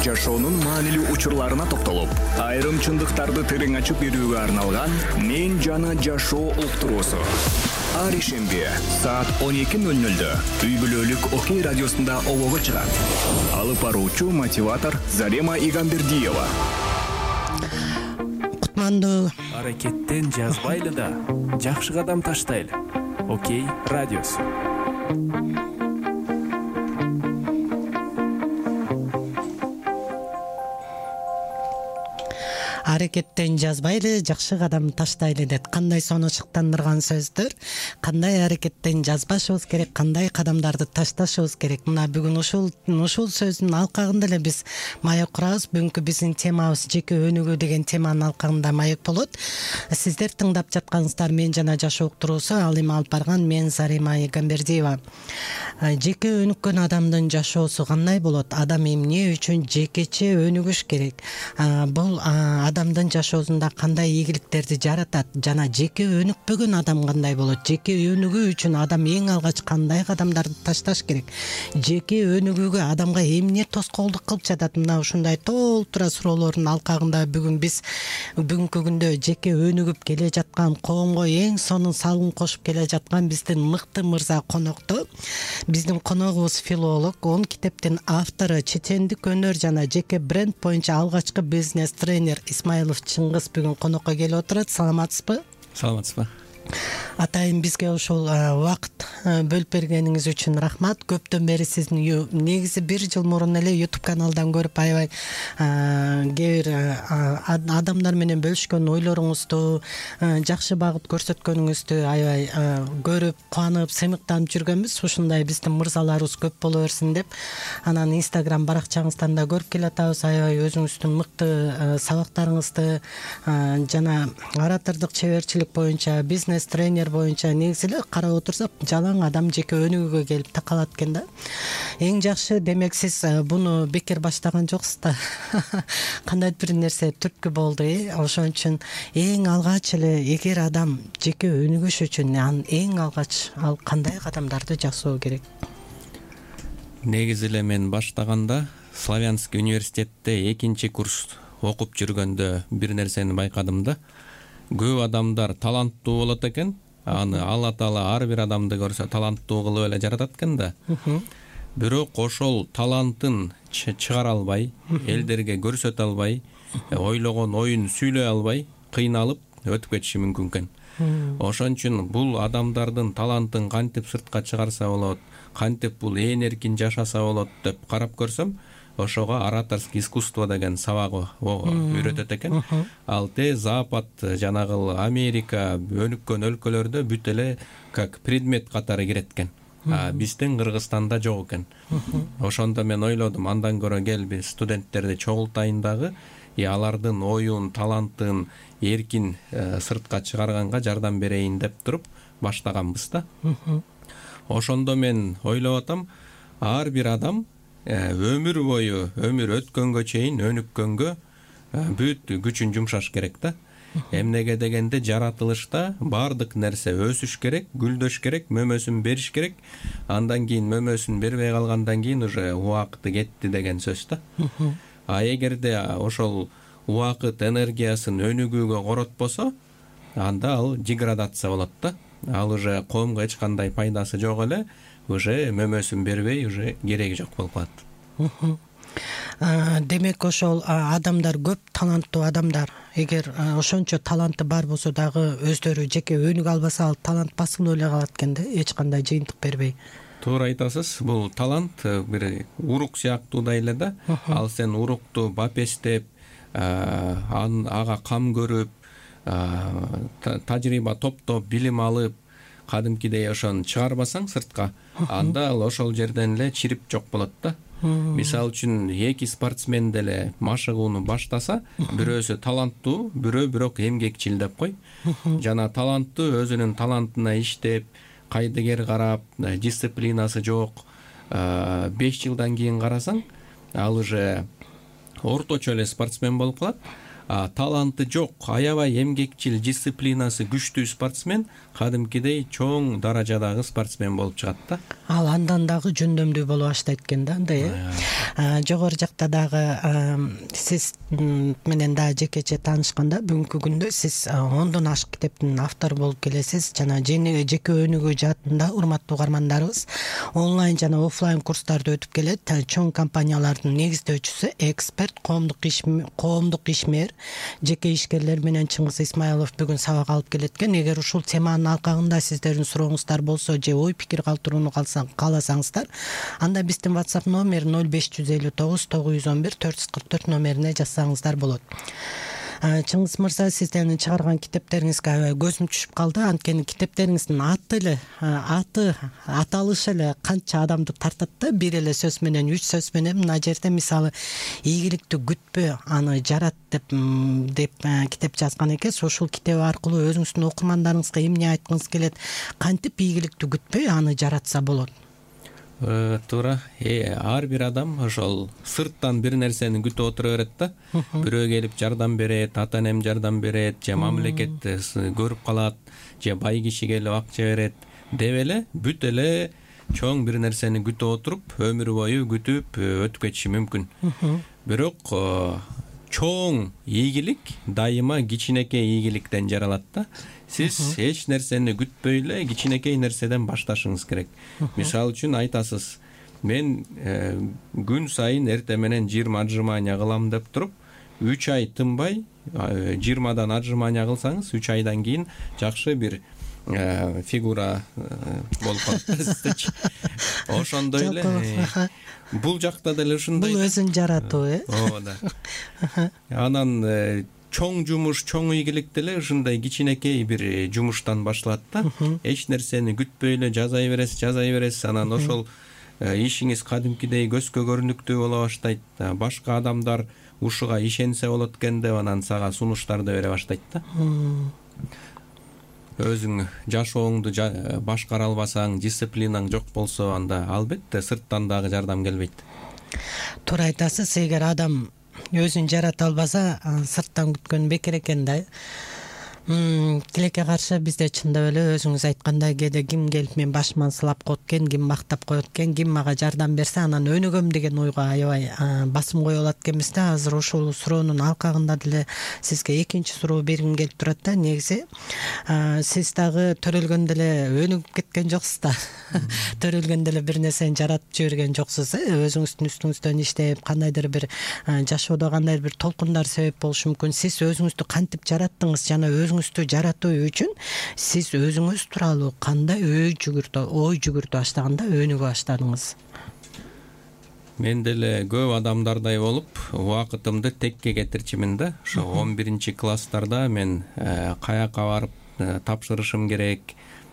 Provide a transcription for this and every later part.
жашоонун маанилүү учурларына токтолуп, айрым чындыктарды терең ачып берүүгө арналган «Мен жана жашоо» уктуруусу. Ар ишемби саат 12:00 үй бүлөлүк Окей радиосунда обого чыгат. Алып баруучу мотиватор Зарема Игамбердиева. Кутмандуу. Аракеттен жазбайлы да, жакшы кадам таштайлы. Окей радиосу. Аракеттен жазбайлы, жакшы кадам таштайлы деп кандай сону шыктандырган сөздөр. Кандай аракеттен жазбашыбыз керек, кандай кадамдарды ташташыбыз керек. Мына бүгүн ушул сөздүн алкагында эле биз маек курабыз. Бүгүнкү биздин темабыз жеке өнүгүү деген теманын алкагында маек болот. Сиздер тыңдап жатканыңыздар «Мен жана жашоо» уктуруусу. Ал эми алып барган мен Зарема Игамбердиева. Жеке өнүккөн адамдын жашоосу кандай болот? Адам эмне үчүн жекече өнүгүш керек? Бул адамдын жашоосунда кандай ийгиликтерди жаратат жана жеке өнүкпөгөн адам кандай болот? Жеке өнүгүү үчүн адам эң алгач кандай кадамдарды ташташ керек? Жеке өнүгүүгө адамга эмне тоскоолдук кылып жатат? Мына ушундай толтура суроолордун алкагында бүгүн биз бүгүнкү күндө жеке өнүгүп келе жаткан, коомго эң сонун салым кошуп келе жаткан биздин мыкты мырза конокто. Биздин коногубуз филолог, 10 китептин автору, чечендик өнөр жана жеке бренд боюнча алгачкы бизнес тренер Исмайлов Чыңгыз бүгүн конокко келип отурат. Саламатсызбы? Саламатсызбы. Атайын бизге ушул убакыт бөлүп бергениңиз үчүн рахмат. Көптөн бери сиздин негизи 1 жыл мурун эле YouTube каналдан көрүп аябай кээ бир адамдар менен бөлүшкөн ойлоруңузду, жакшы багыт көрсөткөнүңүздү аябай көрүп, кубанып, сыймыктанып жүргөнбүз. Ушундай биздин мырзаларыбыз көп боло берсин деп. Анан Instagram баракчаңыздан да көрүп келатабыз. Аябай өзүңүздүн мыкты сабактарыңызды жана оратордук чеберчилик боюнча, бизнес тренер боюнча негизи эле карап отурсак жалаң адам жеке өнүгүүгө келип такалат экен да. Эң жакшы, демек сиз буну бекер баштаган жоксуз да. Кандайдыр бир нерсе түрткү болду. Ошон үчүн эң алгач эле эгер адам жеке өнүгүш үчүн эң алгач ал кандай кадамдарды жасоо керек? Негизи эле мен баштаганда Славянский университетте 2-курс окуп жүргөндө бир нерсени байкадым да. Көп адамдар таланттуу болот экен. Аны Алла Таала ар бир адамды көрсө таланттуу кылып эле жаратат экен да. Бирок ошол талантын чыгара албай, элдерге көрсөтө албай, ойлогон оюн сүйлөй албай, кыйналып өтүп кетиши мүмкүн экен. Ошон үчүн бул адамдардын талантын кантип сыртка чыгарса болот, кантип бул эркин жашаса болот деп карап көрсөм, ошого ораторский искусство деген сабагы үйрөтөт экен. Ал Запад, жанагы Америка, өнүккөн өлкөлөрдө бүт эле как предмет катары кирет экен. Биздин Кыргызстанда жок экен. Ошондо мен ойлодум, андан көрө кел биз студенттерди чогултайын дагы, алардын оюн, талантын эркин сыртка чыгарганга жардам берейин деп туруп баштаганбыз да. Ошондо мен ойлоп атам, ар бир адам өмүр бою, өмүр өткөнгө чейин өнүккөнгө бүт күчүн жумшаш керек да. Эмнеге дегенде жаратылышта бардык нерсе өсүш керек, гүлдөш керек, мөмөсүн бериш керек. Андан кийин мөмөсүн бербей калгандан кийин уже убакыты кетти деген сөз да. Эгерде ошол убакыт энергиясын өнүгүүгө коротпосо, анда ал деградация болот да. Ал уже коомго эч кандай пайдасы жок эле. Уже мөмөсүн бербей, уже кереги жок болуп калат. Демек ошол адамдар, көп таланттуу адамдар, эгер ошончо таланты бар болсо дагы өздөрү жеке өнүгө албаса, ал талант басылып эле калат экен да, эч кандай жыйынтык бербей. Туура айтасыз. Бул талант бир урук сыяктуу да эле да. Ал сен урукту бапестеп, ага кам көрүп, тажрыйба топтоп, билим алып, кадимкидей ошону чыгарбасаң сыртка, анда ал ошол жерден эле чирип жок болот да. Мисалы үчүн 2 спортсмен деле машыгууну баштаса, бирөөсү таланттуу, бирөө бирок эмгекчил деп кой. Жана таланттуу өзүнүн талантына иштеп, кайдыгер карап, дисциплинасы жок, 5 жылдан кийин карасаң, ал уже орточо эле спортсмен болуп калат. таланты жок, аябай эмгекчил, дисциплинасы күчтүү спортсмен кадимкидей чоң даражадагы спортсмен болуп чыгат да. Ал андан дагы жөндөмдүү болуп баштайт экен да, андай. Жогору жакта дагы сиз менен дагы жекече таанышканда бүгүнкү күндө сиз 10дон ашык китептин автору болуп келесиз. Жана жеке өнүгүү жаатында урматтуу угармандарыбыз онлайн жана офлайн курстарды өтүп келет. Чоң компаниялардын негиздөөчүсү, эксперт, коомдук ишмер, жеке ишкерлер менен Чыңгыз Исмайлов бүгүн сабак алып келет экен. Эгер ушул теманын алкагында сиздердин сурооңуздар болсо же ой пикир калтырууну кааласаңыздар, анда биздин WhatsApp номер 0559 911 444 номерине жазсаңыздар болот. Чыңгыз мырза, сиздердин чыгарган китептериңизге аябай көзүм түшүп калды. Анткени китептериңиздин аты аталышы эле канча адамды тартат да, бир эле сөз менен, 3 сөз менен. Мына жерде мисалы ийгиликти күтпө, аны жарат деп китеп жазган экенсиз. Ушул китеп аркылуу өзүңүздүн окурмандарыңызга эмне айткыңыз келет? Кантип ийгиликти күтпөй аны жаратса болот? Туура. Ар бир адам ошол сырттан бир нерсени күтүп отура берет да. Бирөө келип жардам берет, ата энем жардам берет, же мамлекет көрүп калат, же бай киши келип акча берет деп эле бүт эле чоң бир нерсени күтүп отуруп, өмүр бою күтүп өтүп кетиши мүмкүн. Бирок чоң ийгилик дайыма кичинекей ийгиликтен жаралат да. Сиз эч нерсени күтпөй эле кичинекей нерседен башташыңыз керек. Мисалы үчүн айтасыз, мен күн сайын эртең менен 20 отжимания кылам деп туруп, 3 ай тынбай 20дан отжимания кылсаңыз, 3 айдан кийин жакшы бир фигура болуп калат сиздечи. Ошондой эле бул жакта деле ушундай. Бул өзүн жаратуу, Ооба да. Анан чоң жумуш, чоң ийгилик деле ушундай кичинекей бир жумуштан башталат да. Эч нерсени күтпөй эле жазай бересиз, анан ошол ишиңиз кадимкидей көзгө көрүнүктүү боло баштайт. Башка адамдар ушуга ишенсе болот экен деп анан сага сунуштарды бере баштайт да. Өзүң жашооңду башкара албасаң, дисциплинаң жок болсо, анда албетте сырттан дагы жардам келбейт. Туура айтасыз. Эгер адам өзүн жарата албаса, сырттан күткөн бекер экен да. Тилекке каршы бизде чындап эле өзүңүз айткандай кээде ким келип мен башыман сылап коет экен, ким мактап коет экен, ким мага жардам берсе анан өнүгөм деген ойго аябай басым кое алат экенбиз да. Азыр ушул суроонун алкагында деле сизге экинчи суроо бергим келип турат да. Негизи сиз дагы төрөлгөндө эле өнүгүп кеткен жоксуз да. Төрөлгөндө эле бир нерсени жаратып жиберген жоксуз. Өзүңүздүн үстүңүздөн иштеп, кандайдыр бир жашоодо кандайдыр бир толкундар себеп болушу мүмкүн. Сиз өзүңүздү кантип жараттыңыз жана өзүңүздү жаратуу үчүн сиз өзүңүз тууралуу кандай ой жүгүртө баштаганда өнүгө баштадыңыз? Мен деле көп адамдардай болуп, убакытымды текке кетирчимин да. Ошо 11-класстарда мен каяка барып тапшырышым керек,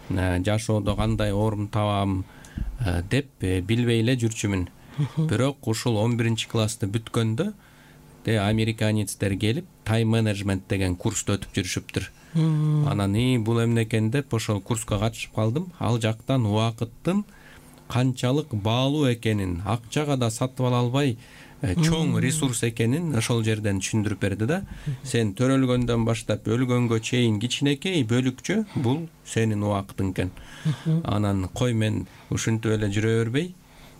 жашоодо кандай орун табам деп билбей эле жүрчүмүн. Бирок ушул 11-классты бүткөндө американецтер келип тайм-менеджмент деген курсту өтүп жүрүшүптүр. Анан бул эмне экен деп ошол курска катышып калдым. Ал жактан убакыттын канчалык баалуу экенин, акчага да сатып ала албай чоң ресурс экенин ошол жерден түшүндүрүп берди да. Сен төрөлгөндөн баштап өлгөнгө чейин кичинекей бөлүкчө бул сенин убакытың экен. Анан кой мен ушинтип эле жүрө бербей,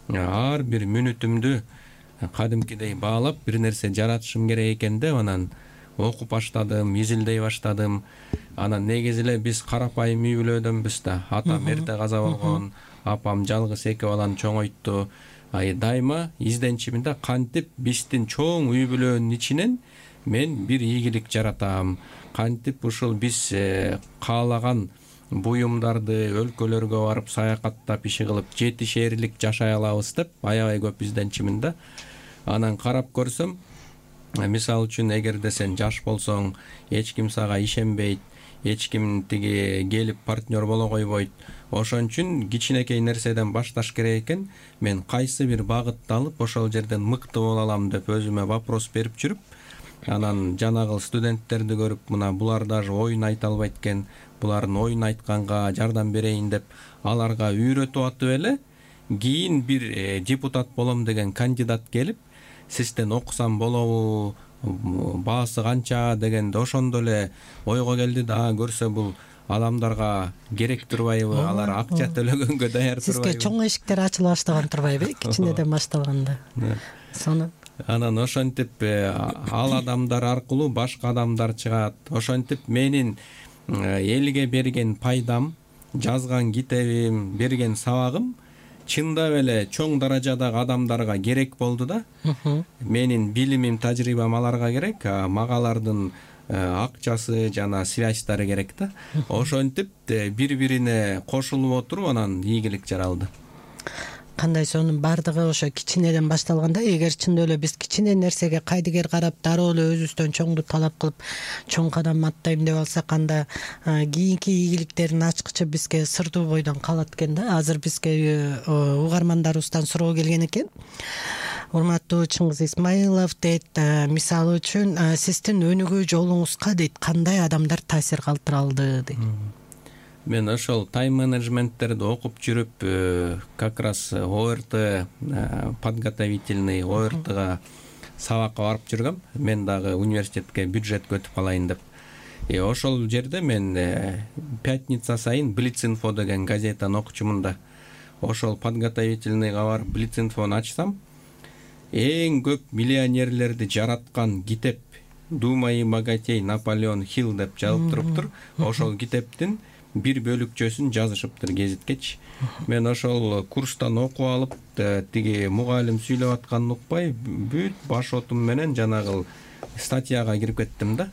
ар бир мүнөтүмдү кадимкидей баалап бир нерсе жаратышым керек экен деп анан окуп баштадым, изилдей баштадым. Анан негизи эле биз карапайым үй бүлөдөнбүз да. Атам эрте каза болгон, апам жалгыз 2 баланы чоңойтtu. Дайыма изденчимин да, кантип биздин чоң үй бүлөнүн ичинен мен бир ийгилик жаратам, кантип ушул биз каалаган буюмдарды өлкөлөргө барып саякаттап иши кылып 7 шээрлик жашай алабыз деп аябай көп изденчимин да. Анан карап көрсөм, мисалы үчүн эгерде сен жаш болсоң, эч ким сага ишенбейт, эч ким тиги келип партнер боло койбойт. Ошон үчүн кичинекей нерседен башташ керек экен. Мен кайсы бир багытты алып ошол жерден мыкты боло алам деп өзүмө вопрос берип жүрүп, анан жанагыл студенттерди көрүп, мына булар даже оюн айта албайт экен, булардын оюн айтканга жардам берейин деп аларга үйрөтүп атып эле, кийин бир депутат болом деген кандидат келип, сизден окусам болобу, баасы канча дегенде ошондо эле ойго келди да, көрсө бул адамдарга керек турбайбы, алар акча төлөгөнгө даяр турбайбы. Сизге чоң эшиктер ачыла баштаган турбайбы, кичинеден башталганда. Сону анан ошентип ал адамдар аркылуу башка адамдар чыгат. Ошентип менин элге берген пайдам, жазган китебим, берген сабагым чындап эле чоң даражадагы адамдарга керек болду да. Менин билимим, тажрыйбам аларга керек, мага алардын акчасы жана связьтары керек да. Ошентип бири-бирине кошулуп отуруп анан ийгилик жаралды. Кандай сонун бардыгы ошо кичинеден башталганда, эгер чындап эле биз кичине нерсеге кайдыгер карап дароо эле өзүбүздөн чоңду талап кылып чоң кадам аттайм деп алсак, анда кийинки ийгиликтердин ачкычы бизге сырдуу бойдон калат экен да. Азыр бизге угармандарыбыздан суроо келген экен. Урматтуу Чыңгыз Исмаилов дейт, мисалы үчүн сиздин өнүгүү жолуңузга дейт кандай адамдар таасир калтыра алды дейт. Мен ошол тайм менеджменттерди окуп жүрүп, как раз ОРТ, подготовительный ОРТга сабакка барып жүргөм. Мен дагы университетке бюджетке өтүп калайын деп. Ошол жерде мен пятница сайын Блиц-инфо деген газетаны окучумун да. Ошол подготовительныйга барып Блиц-инфону ачсам, эң көп миллионерлерди жараткан китеп «Думай и богатей» Наполеон Хилл деп жазылып туруптур. Ошол китептин бир бөлүкчөсүн жазышыптыр гезиткечи. Мен ошол курстан окуп алып, тиги мугалим сүйлөп атканын укпай, бүт баш отум менен жанагы статьяга кирип кеттим да.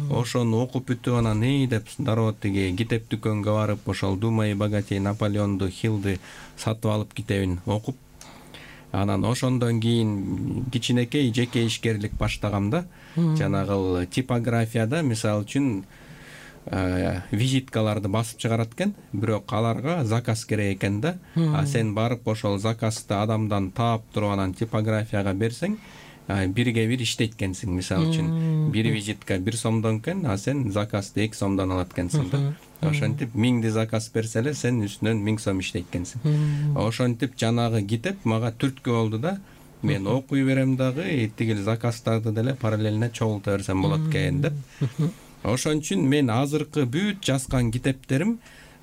Ошону окуп бүтүп анан деп дароо тиги китеп дүкөнгө барып, ошол «Думай и богатей» Наполеонду Хиллди сатып алып китебин окуп, анан ошондон кийин кичинекей жеке ишкерлик баштагам да. Жанагы типографияда мисалы үчүн визиткаларды басып чыгарат экен, бирок аларга заказ керек экен да. Сен барып ошол заказды адамдан таап туруп анан типографияга берсең, бирге бир иштейт экенсиң. Мисалы үчүн бир визитка 1 сомдон экен, сен заказды 2 сомдон алат экенсиң да. Ошентип 1000 заказ берсе эле сен үстүнөн 1000 сом иштейт экенсиң. Ошентип жанагы китеп мага түрткү болду да. Мен окуй берем дагы, тигил заказдарды деле параллельно чогулта берсем болот экен деп. Ошон үчүн мен азыркы бүт жазган китептерим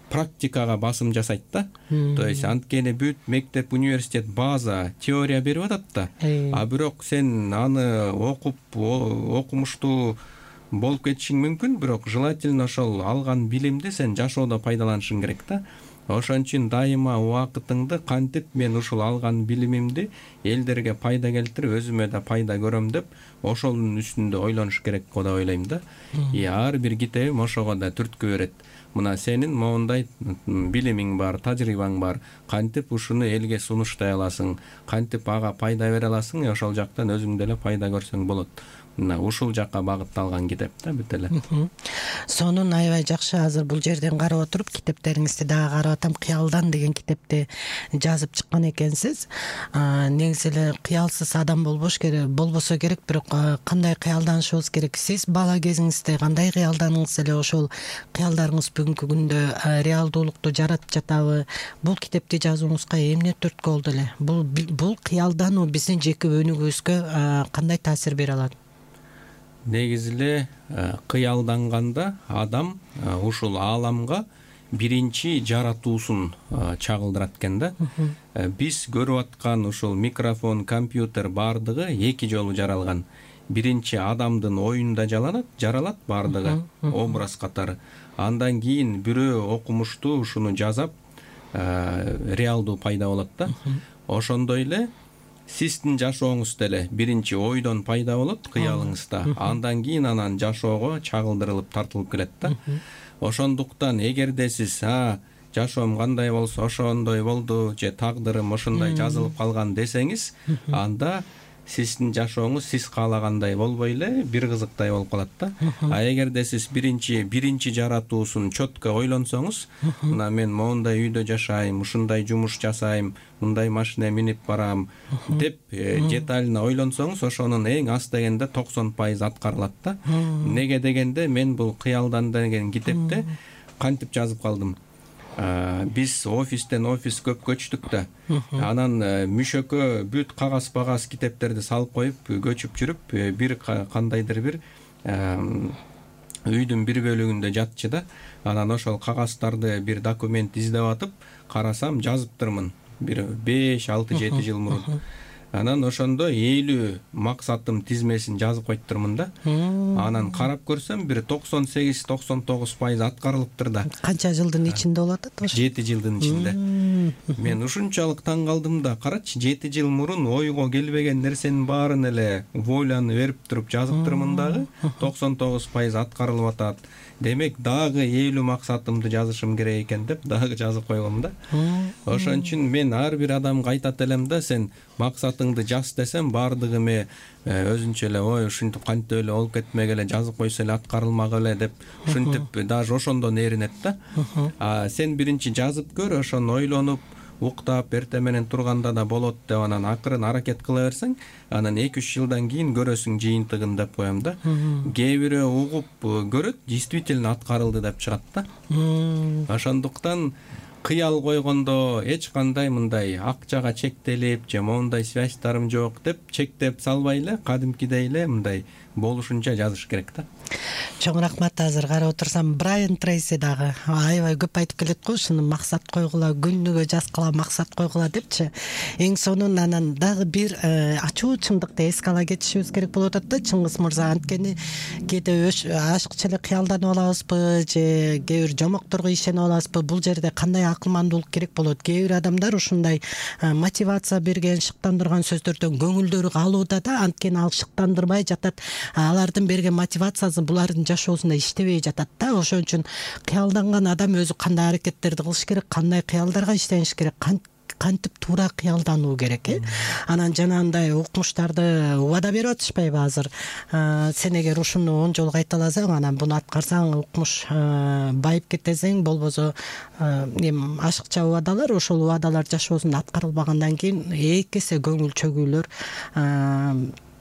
практикага басым жасайт да. То есть анткени бүт мектеп, университет база, теория берип атат да. Бирок сен аны окуп, окумуштуу болуп кетишиң мүмкүн, бирок желательно ошол алган билимди сен жашоодо пайдаланышың керек да. Ошон үчүн дайыма убакытыңды кантип мен ушул алган билимимди элдерге пайда келтирип, өзүмө да пайда көрөм деп, ошонун үстүндө ойлонуш керек го деп ойлойм да. Ар бир китебим ошого да түрткү берет. Мына сенин моундай билимиң бар, тажрыйбаң бар, кантип ушуну элге сунуштай аласың, кантип ага пайда бере аласың, ошол жактан өзүң деле пайда көрсөң болот. Мына ушул жакка багытталган китеп да бүт эле. Сонун аябай жакшы. Азыр бул жерден карап отуруп китептериңизди дагы карап атам. Кыялдан деген китепти жазып чыккан экенсиз. Негизи эле кыялсыз адам болбосо керек, бирок кандай кыялданышыбыз керек? Сиз бала кезиңизде кандай кыялданыңыз эле, ошол кыялдарыңыз бүгүнкү күндө реалдуулукту жаратып жатабы? Бул китепти жазууңузга эмне түрткү болду эле? Бул кыялдануу биздин жеке өнүгүүбүзгө кандай таасир бере алат? Негизи эле кыялданганда адам ушул ааламга биринчи жаратуусун чагылдырат экен да. Биз көрүп аткан ушул микрофон, компьютер бардыгы 2 жолу жаралган. Биринчи адамдын оюнда жаралат бардыгы образ катары. Андан кийин бирөө окумуштуу ушуну жазап реалдуу пайда болот да. Ошондой эле сиздин жашооңуз деле биринчи ойдон пайда болот, кыялыңызда. Андан кийин анан жашоого чагылдырылып тартылып келет да. Ошондуктан эгерде сиз жашоом кандай болсо ошондой болду, же тагдырым ошондой жазылып калган десеңиз, анда сиздин жашооңуз сиз каалагандай болбой эле бир кызыктай болуп калат да. Эгерде сиз биринчи жаратуусун чөткө ойлонсоңуз, мына мен моундай үйдө жашайм, ушундай жумуш жасайм, мындай машина минип барам деп детально ойлонсоңуз, ошонун эң аз дегенде 90% аткарылат да. Неге дегенде мен бул кыялдан деген китепте кантип жазып калдым. биз офистен офис көп көчтүк да. Анан мүшөккө бүт кагаз китептерди салып коюп көчүп жүрүп, бир кандайдыр бир үйдүн бир бөлүгүндө жатчы да. Анан ошол кагаздарды бир документ издеп атып карасам, жазыптырмын бир 5-6-7 жыл мурун. Анан ошондо 50 максатым тизмесин жазып койттурмун да. Анан карап көрсөм, бир 98-99% аткарылыптыр да. Канча жылдын ичинде болот ошо? 7 жылдын ичинде. Мен ушунчалык таң калдым да, карачы, 7 жыл мурун ойго келбеген нерсенин баарын эле войланы берип туруп жазыптырмын дагы, 99% аткарылып атат. Демек, дагы 50 максатымды жазышым керек экен деп дагы жазып койгом да. Ошон үчүн мен ар бир адамга айтат элем да, сен максатыңды жаз десем, баардыгы өзүнчө эле ой ушинтип кантип эле болуп кетмек эле, жазып койсо эле аткарылмак эле деп ушинтип даже ошондон ээринет да. Сен биринчи жазып көр, ошону ойлонуп уктап эртең менен турганда да болот деп, анан акырын аракет кыла берсең, анан 2-3 жылдан кийин көрөсүң жыйынтыгын деп коем да. Кээ бирөө угуп көрөт, действительно аткарылды деп чыгат да. Ошондуктан кыял койгондо эч кандай мындай акчага чектелип же моундай связьтарым жок деп чектеп салбай эле, кадимкидей эле мындай болушунча жазыш керек да. Чоң рахмат. Азыр карап отурсам, Брайан Трейси дагы аябай көп айтып келет го, ушуну максат койгула, күнүгө жазгыла, максат койгула депчи. Эң сонун анан дагы бир ачуу чындыкты эске ала кетишибиз керек болуп атат да, Чыңгыз мырза. Анткени кээде ашыкча эле кыялданып алабызбы же кээ бир жомокторго ишенип алабызбы, бул жерде кандай акылмандуулук керек болот? Кээ бир адамдар ушундай мотивация берген, шыктандырган сөздөрдөн көңүлдөрү калууда да, анткени ал шыктандырбай жатат. Алардын берген мотивациясы булардын жашоосунда иштебей жатат да. Ошон үчүн кыялданган адам өзү кандай аракеттерди кылыш керек, кандай кыялдарга иштениш керек, кантип туура кыялдануу керек. Анан жанагындай укмуштарды убада берип атышпайбы азыр? Сен эгер ушуну 10 жолу кайталасаң, анан буну аткарсаң укмуш байып кетесең, болбосо эми ашыкча убадалар, ошол убадалар жашоосунда аткарылбагандан кийин 2 эсе көңүл чөгүүлөр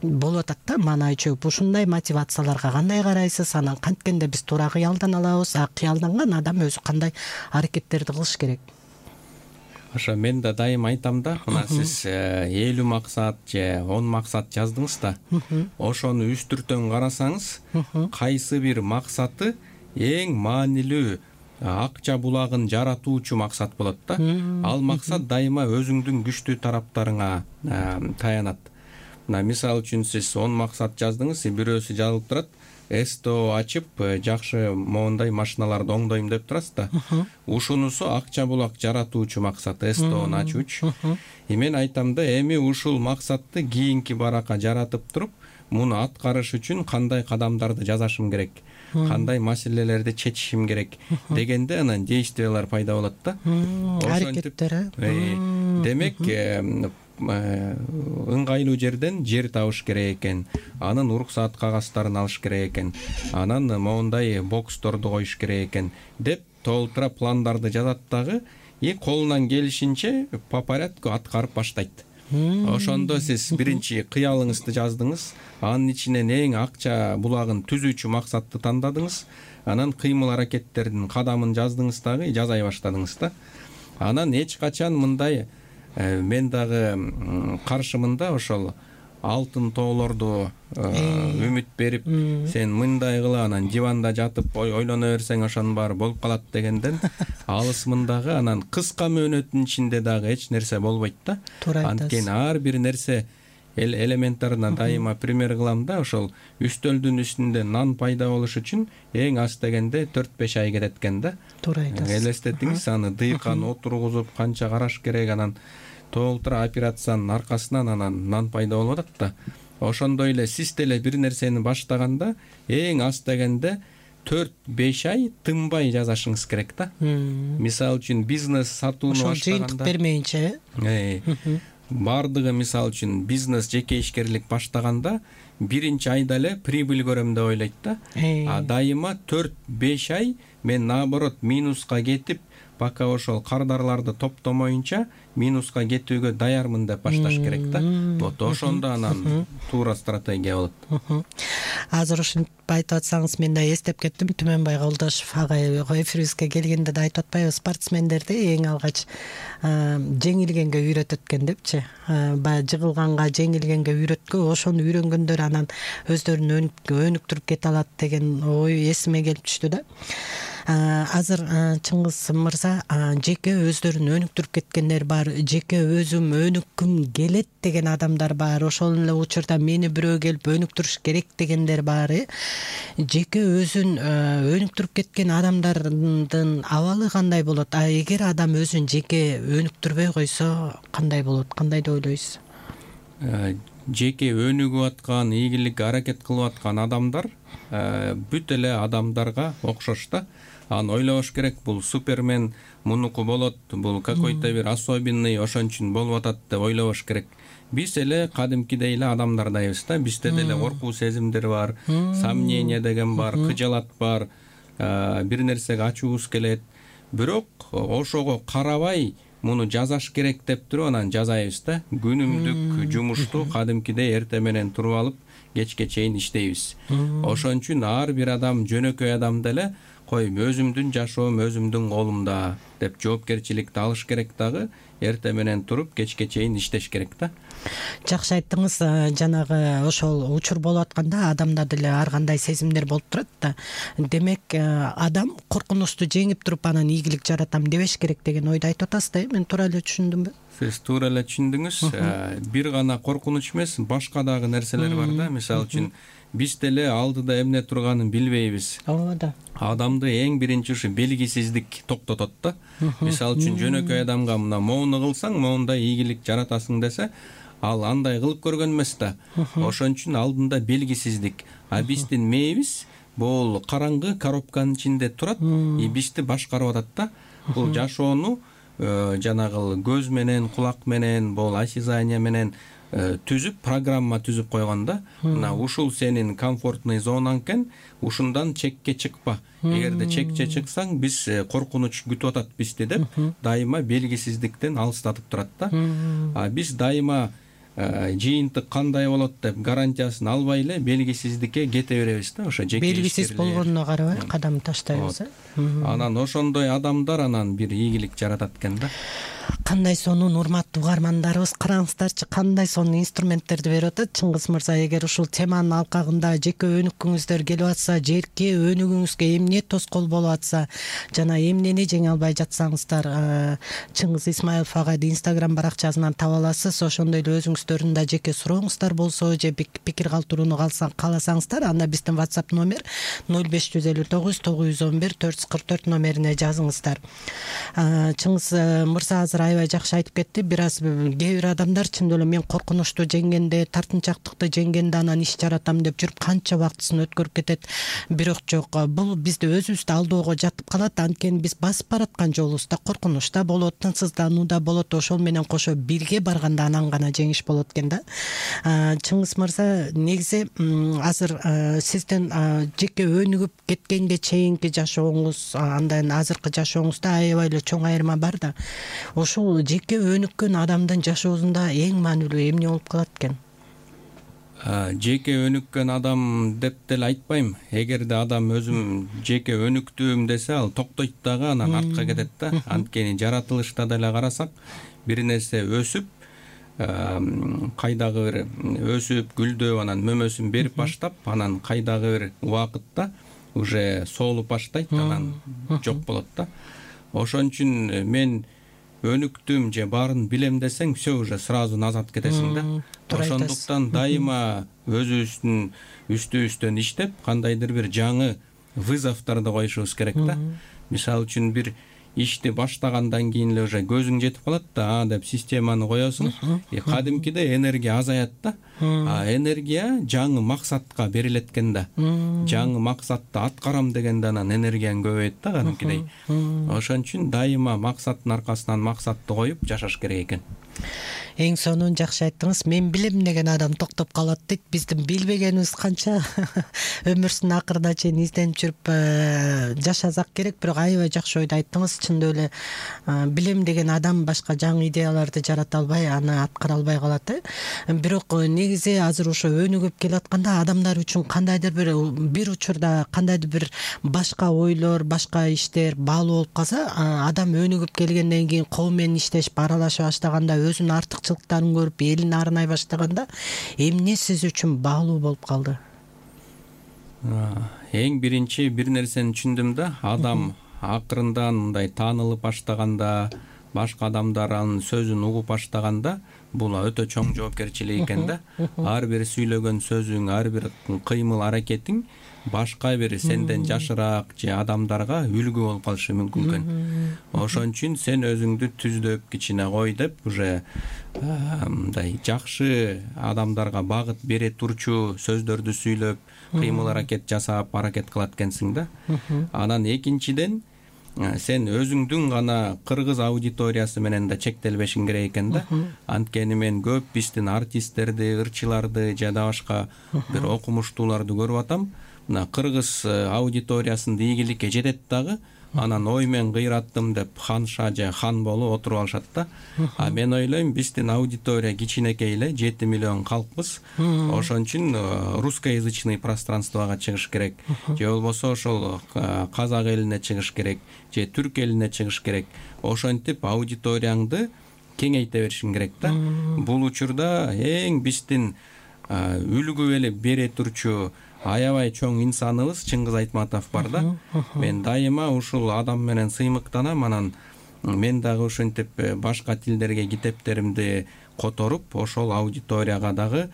болуп атат да. Маанай чөгүп, ушундай мотивацияларга кандай карайсыз? Анан канткенде биз туура кыялдана алабыз, кыялданган адам өзү кандай аракеттерди кылыш керек? Ошо мен да дайыма айтам да, мына сиз 50 максат же 10 максат жаздыңыз да, ошону үстүртөн карасаңыз, кайсы бир максаты эң маанилүү акча булагын жаратуучу максат болот да. Ал максат дайыма өзүңдүн күчтүү тараптарыңа таянат. Мисалы үчүн сиз 10 максат жаздыңыз, бирөөсү жазылып турат, СТО ачып, жакшы моундай машиналарды оңдойм деп турасыз да. Ушунусу акча булак жаратуучу максат, СТОну ачуучу. Мен айтам да, эми ушул максатты кийинки баракка жаратып туруп, муну аткарыш үчүн кандай кадамдарды жасашым керек, кандай маселелерди чечишим керек дегенде анан действиялар пайда болот да. Аракеттер. Демек, ыңгайлуу жерден жер табыш керек экен, анын уруксаат кагаздарын алыш керек экен, анан моундай боксторду коюш керек экен деп толтура пландарды жазат дагы, колунан келишинче по порядку аткарып баштайт. Ошондо сиз биринчи кыялыңызды жаздыңыз, анын ичинен эң акча булагын түзүүчү максатты тандадыңыз, анан кыймыл аракеттердин кадамын жаздыңыз дагы, жазай баштадыңыз да. Анан эч качан мындай мен дагы каршымын да, ошол алтын тоолорду үмүт берип, сен мындай кыла, анан диванда жатып ойлоно берсең ошонун баары болуп калат дегенден алысмын дагы. Анан кыска мөөнөттүн ичинде дагы эч нерсе болбойт да. Анткени ар бир нерсе элементарына дайыма пример кылам да, ошол үстөлдүн үстүндө нан пайда болуш үчүн эң аз дегенде 4-5 ай кетет экен да. Туура айтасыз. Элестетиңиз, аны дыйкан отургузуп, канча караш керек, анан толтура операциянын аркасынан анан нан пайда болуп атат да. Ошондой эле сиз деле бир нерсени баштаганда эң аз дегенде 4-5 ай тынбай жасашыңыз керек да. Мисалы үчүн бизнес сатууну баштаганда, ошол жыйынтык бермейинче, бардыгы мисалы үчүн бизнес жеке ишкерлик баштаганда биринчи айда эле прибыль көрөм деп ойлойт да. Дайыма 4-5 ай мен наоборот минуска кетип, пока ошол кардарларды топтомоюнча минуска кетүүгө даярмын деп башташ керек да. Вот ошондо анан туура стратегия болот. Азыр ушинтип айтып атсаңыз мен да эстеп кеттим. Түмөнбай Колдошов агай эфирибизге келгенде да айтып атпайбы, спортсмендерди эң алгач жеңилгенге үйрөтөт экен депчи. Баягы жыгылганга, жеңилгенге үйрөткө, ошону үйрөнгөндөр анан өздөрүн өнүктүрүп кете алат деген ой эсиме келип түштү да. Азыр Чыңгыз мырза жеке өздөрүн өнүктүрүп кеткендер бар, жеке өзүм өнүккүм келет деген адамдар бар, ошол эле учурда мени бирөө келип өнүктүрүш керек дегендер бар. Жеке өзүн өнүктүрүп кеткен адамдардын абалы кандай болот? Эгер адам өзүн жеке өнүктүрбөй койсо кандай болот? Кандай деп ойлойсуз? Жеке өнүгүп аткан, ийгиликке аракет кылып аткан адамдар бүт эле адамдарга окшош да. Аны ойлош керек, бул супермен мунуку болот, бул какой-то бир особенный, ошон үчүн болуп атат деп ойлобош керек. Биз эле кадимкидей эле адамдардайбыз да. Бизде деле коркуу сезимдер бар, сомнение деген бар, кыжалат бар, бир нерсеге ачуубуз келет. Бирок ошого карабай муну жазаш керек деп туруп анан жазайбыз да. Күнүмдүк жумушту кадимкидей эртең менен туруп алып кечке чейин иштейбиз. Ошон үчүн ар бир адам, жөнөкөй адам деле койм, өзүмдүн жашоом өзүмдүн колумда деп жоопкерчиликти алыш керек дагы, эртең менен туруп кечке чейин иштеш керек да. Жакшы айттыңыз. Жанагы ошол учур болуп атканда адамда деле ар кандай сезимдер болуп турат да. Демек адам коркунучту жеңип туруп анан ийгилик жаратам дебеш керек деген ойду айтып атасыз да. Мен туура эле түшүндүмбү? Сиз туура эле түшүндүңүз. Бир гана коркунуч эмес, башка дагы нерселер бар да. Мисалы үчүн биз деле алдыда эмне турганын билбейбиз. Ооба. Адамды эң биринчи ушу белгисиздик токтотот да. Мисалы үчүн жөнөкөй адамга мына моуну кылсаң, моундай ийгилик жаратасың десе, ал андай кылып көргөн эмес да. Ошон үчүн алдында белгисиздик. Биздин мээбиз бул караңгы коробканын ичинде турат, бизди башкарып атат да. Бул жашоону жанагы көз менен, кулак менен, бул осязание менен түзүп, программа түзүп койгон да. Мына ушул сенин комфортный зонаң экен, ушундан чекке чыкпа. Эгерде чекче чыксаң, биз коркунуч күтүп атат бизди деп, дайыма белгисиздиктен алыстатып турат да. Биз дайыма жыйынтык кандай болот деп гарантиясын албай эле белгисиздикке кете беребиз да. Ошо жеке белгисиз болгонуна карабай кадам таштайбыз. Анан ошондой адамдар анан бир ийгилик жаратат экен да. Кандай сонун урматтуу угармандарыбыз, караңыздарчы, кандай сонун инструменттерди берип атат Чыңгыз мырза. Эгер ушул теманын алкагында жеке өнүккүңүздөр келип атса, жеке өнүгүүңүзгө эмне тоскоол болуп атса, жана эмнени жеңе албай жатсаңыздар, Чыңгыз Исмаилов агайды Instagram баракчасынан таба аласыз. Ошондой эле өзүңүздөрдүн да жеке сурооңуздар болсо, же пикир калтырууну кааласаңыздар, анда биздин WhatsApp номер 0559 911 444 номерине жазыңыздар. Чыңгыз мырза азыр аябай жакшы айтып кетти. Бир аз кээ бир адамдар чындап эле мен коркунучту жеңгенде, тартынчактыкты жеңгенде анан иш жаратам деп жүрүп канча убактысын өткөрүп кетет. Бирок жок, бул бизди өзүбүздү алдаууга жатып калат. Анткени биз басып бараткан жолубузда коркунуч да болот, тынчсыздануу да болот. Ошол менен кошо бирге барганда анан гана жеңиш болот экен да. Чыңгыз мырза, негизи азыр сиздин жеке өнүгүп кеткенге чейинки жашооңуз, андан азыркы жашооңузда аябай эле чоң айырма бар да. Ошол жеке өнүккөн адамдын жашоосунда эң маанилүү эмне болуп калат экен? Жеке өнүккөн адам деп деле айтпайм. Эгерде адам өзүм жеке өнүктүм десе, ал токтойт дагы, анан артка кетет да. Анткени жаратылышта деле карасак, бир нерсе өсүп, кайдагы бир өсүп, гүлдөп, анан мөмөсүн берип баштап, анан кайдагы бир убакытта уже соолуп баштайт, анан жок болот да. Ошон үчүн мен өнүктүм же баарын билем десең, все уже сразу назад кетесиң да. Ошондуктан дайыма өзүбүздүн үстүбүздөн иштеп, кандайдыр бир жаңы вызовдорду коюшубуз керек да. Мисалы үчүн бир ишти баштагандан кийин эле уже көзүң жетип калат да, деп системаны коесуң. Кадимкиде энергия азаят да. Энергия жаңы максатка берилет экен да. Жаңы максатты аткарам дегенде анан энергияң көбөйөт да кадимкидей. Ошон үчүн дайыма максаттын аркасынан максатты коюп жашаш керек экен. Эң сонун жакшы айттыңыз. Мен билем деген адам токтоп калат дейт. Биздин билбегенибиз канча өмүрүнүн акырына чейин изденип жүрүп жашасак керек. Бирок аябай жакшы ойду айттыңыз. Чындап эле билем деген адам башка жаңы идеяларды жарата албай, аны аткара албай калат. Бирок негизи азыр ошо өнүгүп келатканда адамдар үчүн кандайдыр бир учурда кандайдыр бир башка ойлор, башка иштер баалуу болуп калса, адам өнүгүп келгенден кийин коом менен иштешип аралаша баштаганда, өзүнүн артыкчылыктарын көрүп элин арнай баштаганда эмне сиз үчүн баалуу болуп калды? Эң биринчи бир нерсени түшүндүм да, адам акырындан мындай таанылып баштаганда, башка адамдар анын сөзүн угуп баштаганда, бул өтө чоң жоопкерчилик экен да. Ар бир сүйлөгөн сөзүң, ар бир кыймыл аракетиң башка бир сенден жашыраак же адамдарга үлгү болуп калышы мүмкүн экен. Ошон үчүн сен өзүңдү түздөп, кичине кой деп, уже мындай жакшы адамдарга багыт бере турчу сөздөрдү сүйлөп, кыймыл аракет жасап, аракет кылат экенсиң да. Анан экинчиден, сен өзүңдүн гана кыргыз аудиториясы менен да чектелбешиң керек экен да. Анткени мен көп биздин артисттерди, ырчыларды жада башка бир окумуштууларды көрүп атам. Мына кыргыз аудиториясында ийгиликке жетет дагы, анан ой мен кыйраттым деп ханша же хан болуп отуруп алышат да. А мен ойлойм, биздин аудитория кичинекей эле, 7 миллион калкпыз. Ошон үчүн русскоязычный пространствого чыгыш керек, же болбосо ошол казак элине чыгыш керек, же түрк элине чыгыш керек. Ошентип аудиторияңды кеңейте беришиң керек да. Бул учурда эң биздин үлгү бере турчу аябай чоң инсаныбыз Чыңгыз Айтматов бар да. Мен дайыма ушул адам менен сыймыктанам, анан мен дагы ошентип башка тилдерге китептеримди которуп, ошол аудиторияга дагы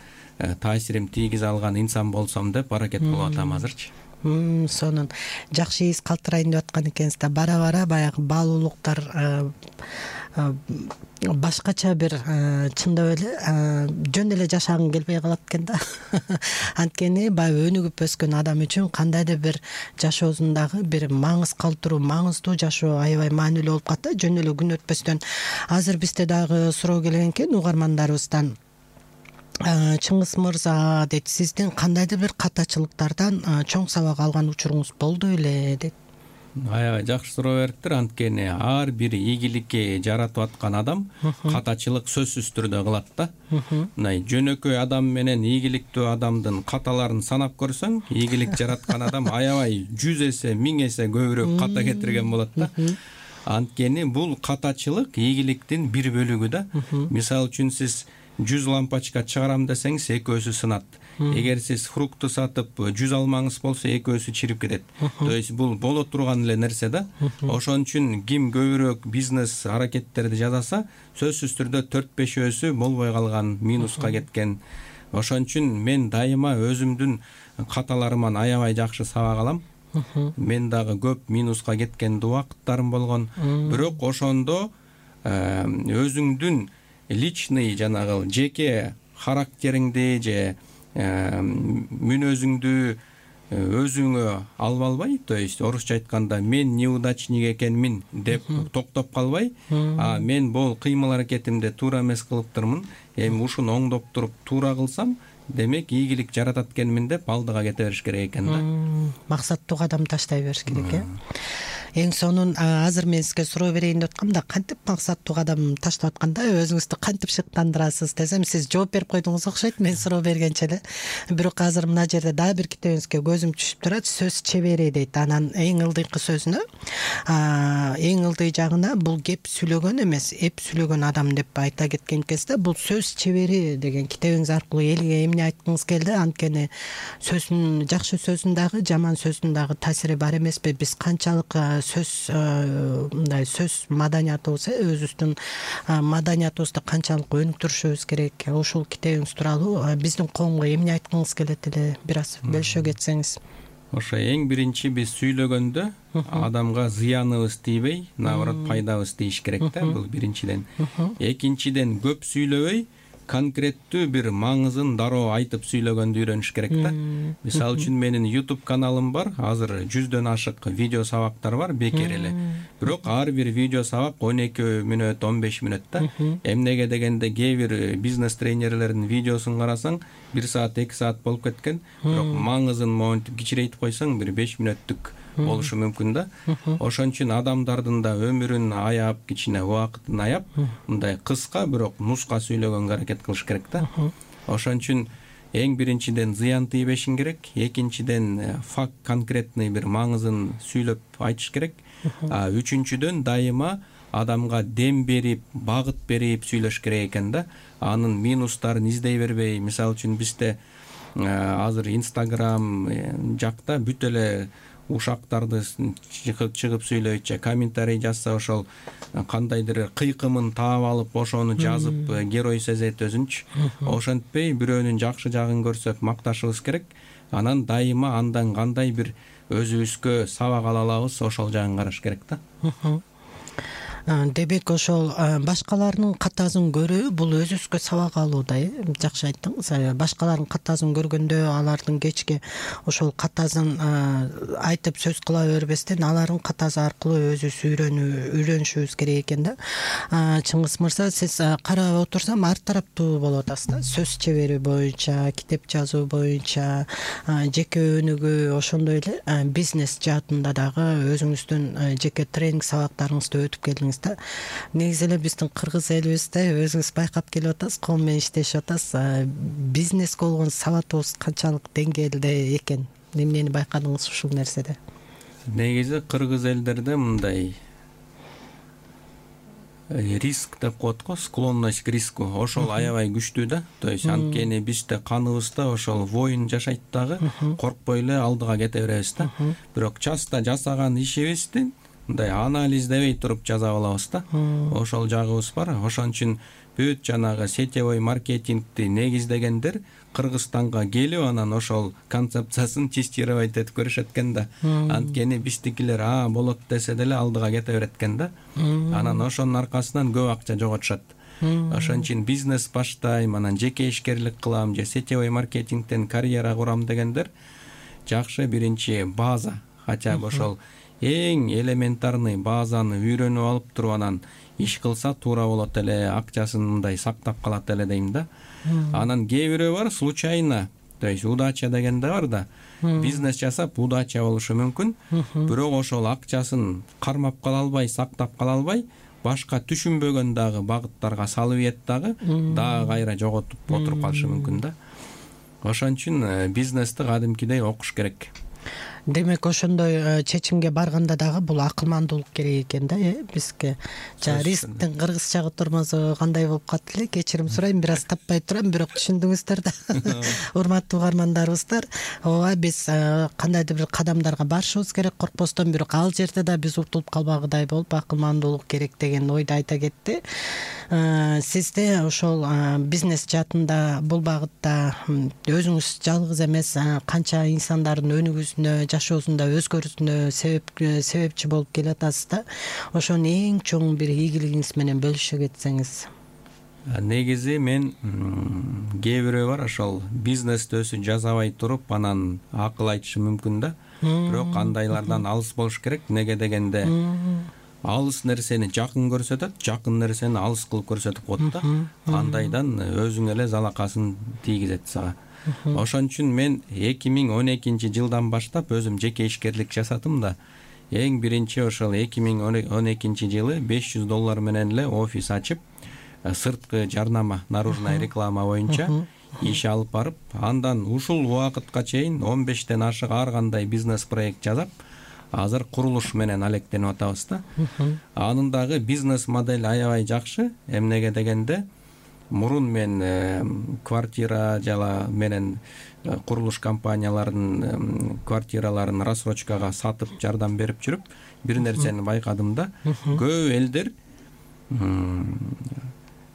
таасирим тийгизе алган инсан болсом деп аракет кылып атам азырчы. Сонун жакшы из калтырайын деп аткан экенсиз да. Бара-бара баягы баалуулуктар башкача бир чындап эле жөн эле жашагың келбей калат экен да. Анткени баягы өнүгүп өскөн адам үчүн кандайдыр бир жашоосундагы бир маңыз калтыруу, маңыздуу жашоо аябай маанилүү болуп калат да. Жөн эле күн өтпөстөн азыр бизде дагы суроо келген экен угармандарыбыздан. Чыңгыз мырза дейт, сиздин кандайдыр бир катачылыктардан чоң сабак алган учуруңуз болду беле дейт. Аябай жакшы суроо бериптир. Анткени ар бир ийгиликке жаратып аткан адам катачылык сөзсүз түрдө кылат да. Мындай жөнөкөй адам менен ийгиликтүү адамдын каталарын санап көрсөң, ийгилик жараткан адам аябай 100 эсе, 1000 эсе көбүрөөк ката кетирген болот да. Анткени бул катачылык ийгиликтин бир бөлүгү да. Мисалы үчүн сиз 100 лампочка чыгарам десеңиз, экөөсү сынат. Эгер сиз фрукты сатып 100 алмаңыз болсо, экөөсү чирип кетет. То есть бул боло турган эле нерсе да. Ошон үчүн ким көбүрөөк бизнес аракеттерди жасаса, сөзсүз түрдө 4-5 болбой калган, минуска кеткен. Ошон үчүн мен дайыма өзүмдүн каталарыман аябай жакшы сабак алам. Мен дагы көп минуска кеткен убакыттарым болгон. Бирок ошондо өзүңдүн личный жанагы жеке характериңди же мүнөзүңдү өзүңө алып албай, то есть орусча айтканда мен неудачник экенмин деп токтоп калбай, мен бул кыймыл аракетимди туура эмес кылыптырмын, эми ушуну оңдоп туруп туура кылсам, демек ийгилик жаратат экенмин деп алдыга кете бериш керек экен да. Максаттуу кадам таштай бериш керек э. Эң сонун азыр мен сизге суроо берейин деп аткам да, кантип максаттуу кадам таштап атканда өзүңүздү кантип шыктандырасыз десем, сиз жооп берип койдуңуз окшойт, мен суроо бергенче эле. Бирок азыр мына жерде дагы бир китебиңизге көзүм түшүп турат, сөз чебери дейт. Анан эң ылдыйкы сөзүнө, эң ылдый жагына бул кеп сүйлөгөн эмес, эп сүйлөгөн адам деп айта кеткен экенсиз да. Бул сөз чебери деген китебиңиз аркылуу элге эмне айткыңыз келди? Анткени сөздүн, жакшы сөздүн дагы, жаман сөздүн дагы таасири бар эмеспи? Биз канчалык сөз мындай сөз маданиятыбыз, өзүбүздүн маданиятыбызды канчалык өнүктүрүшүбүз керек? Ушул китебиңиз тууралуу биздин коомго эмне айткыңыз келет эле, бир аз бөлүшө кетсеңиз. Ошо эң биринчи биз сүйлөгөндө адамга зыяныбыз тийбей, наоборот пайдабыз тийиш керек да, бул биринчиден. Экинчиден көп сүйлөбөй, конкреттүү бир маңызын дароо айтып сүйлөгөндү үйрөнүш керек да. Мисалы үчүн менин YouTube каналым бар. Азыр 100дөн ашык видео сабактар бар бекер эле. Бирок ар бир видео сабак 12 мүнөт, 15 мүнөт да. Эмнеге дегенде кээ бир бизнес тренерлердин видеосун карасаң 1 саат, 2 саат болуп кеткен. Бирок маңызын монтип кичирейтип койсоң бир 5 мүнөттүк болушу мүмкүн да. Ошон үчүн адамдардын да өмүрүн аяп, кичине убакытын аяп, мындай кыска бирок нуска сүйлөгөнгө аракет кылыш керек да. Ошон үчүн эң биринчиден зыян тийбешин керек, экинчиден факт конкретный бир маңызын сүйлөп айтыш керек. Үчүнчүдөн дайыма адамга дем берип, багыт берип сүйлөш керек экен да. Анын минустарын издей бербей, мисалы үчүн бизде азыр Instagram жакта бүт эле ушактарды чыгып сүйлөйт, комментарий жазса ошол кандайдыр кыйкымын таап алып, ошону жазып герой сезет өзүнчү. Ошентпей бирөөнүн жакшы жагын көрсөк макташыбыз керек. Анан дайыма андан кандай бир өзүбүзгө сабак ала алабыз, ошол жагын караш керек да. Демек ошол башкалардын катасын көрүү бул өзүбүзгө сабак алуу да, жакшы айттыңыз. Башкалардын катасын көргөндө алардын кечке ошол катасын айтып сөз кыла бербестен алардын катасы аркылуу өзүбүз үйрөнүшүбүз керек экен да. Чыңгыз мырза, сиз карап отурсам ар тараптуу болуп атасыз да. Сөз чебери боюнча, китеп жазуу боюнча, жеке өнүгүү, ошондой эле бизнес жаатында дагы өзүңүздүн жеке тренинг сабактарыңызды өтүп келдиңиз. Негизи эле биздин кыргыз элибизде өзүңүз байкап келип атасыз, ком менен иштешип атасыз. Бизнеске болгон сабатыбыз канчалык деңгээлде экен? Эмнени байкадыңыз ушул нерседе? Негизи кыргыз элдерде мындай риск деп коет го, склонность к риску. Ошол аябай күчтүү да. То есть анткени бизде каныбызда ошол воин жашайт дагы, коркпой эле алдыга кете беребиз да. Бирок часто жасаган ишибизди мындай анализдебей туруп жаза алабыз да. Ошол жагыбыз бар. Ошон үчүн бүт жанагы сетевой маркетингди негиздегендер Кыргызстанга келип, анан ошол концепциясын тестировать этип көрүшөт экен да. Анткени биздикилер болот десе деле алдыга кете берет экен да. Анан ошонун аркасынан көп акча жоготушат. Ошон үчүн бизнес баштайм, анан жеке ишкерлик кылам же сетевой маркетингден карьера курам дегендер жакшы биринчи база, хотя бы ошол эң элементарный базаны үйрөнүп алып туруп анан иш кылса туура болот эле, акчасын мындай сактап калат эле дейм да. Анан кээ бирөө бар случайно, то есть удача деген да бар да. Бизнес жасап удача болушу мүмкүн, бирок ошол акчасын кармап кала албай, сактап кала албай, башка түшүнбөгөн дагы багыттарга салып ийет дагы кайра жоготуп отуруп калышы мүмкүн да. Ошон үчүн бизнести кадимкидей окуш керек. Демек ошондой чечимге барганда дагы бул акылмандуулук керек экен да, бизге. Рисктин кыргызча тормозу кандай болуп калды эле? Кечирим сурайм, бир аз таппай турам, бирок түшүндүңүздөр да. Урматтуу угармандарыбыздар, ооба биз кандайдыр бир кадамдарга барышыбыз керек коркпостон, бирок ал жерде да биз утулуп калбагыдай болуп акылмандуулук керек деген ойду айта кетти. Сизде ошол бизнес жаатында бул багытта өзүңүз жалгыз эмес, канча инсандардын өнүгүүсүнө, жашоосунда өзгөрүүсүнө себепчи болуп келатасыз да. Ошонун эң чоң бир ийгилигиңиз менен бөлүшө кетсеңиз. Негизи мен кээ бирөө бар ошол бизнести өзү жасабай туруп анан акыл айтышы мүмкүн да. Бирок андайлардан алыс болуш керек. Неге дегенде алыс нерсени жакын көрсөтөт, жакын нерсени алыс кылып көрсөтүп коет да. Андайдан өзүң эле залакасын тийгизет сага. Ошон үчүн мен 2012-жылдан баштап өзүм жеке ишкерлик жасадым да. Эң биринчи ошол 2012-жылы $500 менен эле офис ачып, сырткы жарнама, наружная реклама боюнча иш алып барып, андан ушул убакытка чейин 15тен ашык ар кандай бизнес проект жасап, азыр курулуш менен алектенип атабыз да. Анын дагы бизнес модель аябай жакшы. Эмнеге дегенде мурун мен квартира жала менен курулуш компанияларынын квартираларын рассрочкага сатып жардам берип жүрүп, бир нерсени байкадым да. Көп элдер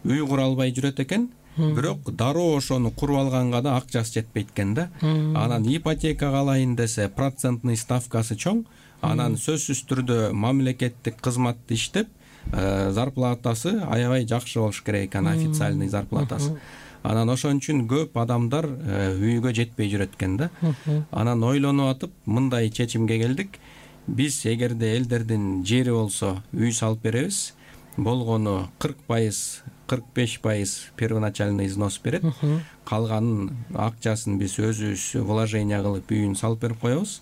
үй кура албай жүрөт экен, бирок дароо ошону куруп алганга да акчасы жетпейт экен да. Анан ипотекага алайын десе, процентный ставкасы чоң. Анан сөзсүз түрдө мамлекеттик кызматты иштеп, зарплатасы аябай жакшы болуш керек экен, официальный зарплатасы. Анан ошон үчүн көп адамдар үйгө жетпей жүрөт экен да. Анан ойлонуп атып мындай чечимге келдик. Биз эгерде элдердин жери болсо үй салып беребиз, болгону 40%, 45% первоначальный взнос берет. Калганын акчасын биз өзүбүз вложение кылып үйүн салып берип коебуз.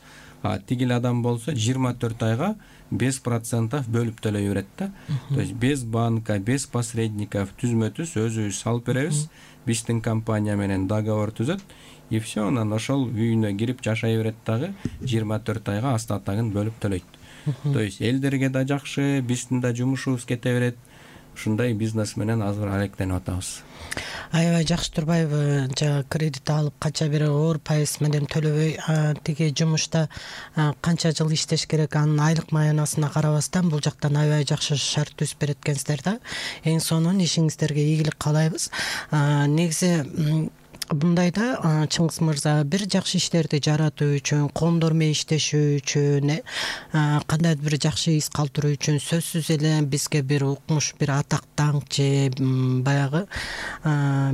Тигил адам болсо 24 айга 5% бөлүп төлөй берет да. То есть без банка, без посредников түзмө-түз өзүбүз салып беребиз. Биздин компания менен договор түзөт. И все, анан ошол үйүнө кирип жашай берет дагы 24 айга остатогун бөлүп төлөйт. То есть элдерге да жакшы, биздин да жумушубуз кете берет. Ушундай бизнес менен азыр алектенип атабыз. Аябай жакшы турбайбы? Кредит алып канча бир оор пайыз менен төлөбөй тиги жумушта канча жыл иштеш керек, анын айлык маянасына карабастан бул жактан аябай жакшы шарт түзүп берет экенсиздер да. Эң сонун ишиңиздерге ийгилик каалайбыз. Негизи бундайда Чыңгыз мырза бир жакшы иштерди жаратуу үчүн, коомдор менен иштешүү үчүн, кандайдыр бир жакшы из калтыруу үчүн сөзсүз эле бизге бир укмуш, бир атак даңк же баягы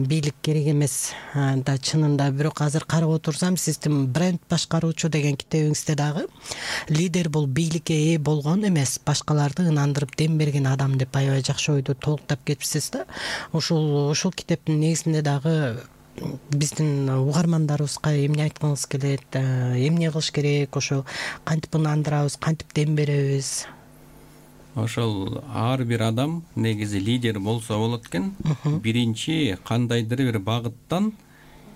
бийлик керек эмес да чынында. Бирок азыр карап отурсам, сиздин бренд башкаруучу деген китебиңизде дагы лидер бул бийликке ээ болгон эмес, башкаларды ынандырып дем берген адам деп аябай жакшы ойду толуктап кетипсиз да. Ушул китептин негизинде дагы биздин угармандарыбызга эмне айткыңыз келет, эмне кылыш керек, ошо кантип ынандырабыз, кантип дем беребиз? Ошол ар бир адам негизи лидер болсо болот экен. Биринчи кандайдыр бир багыттан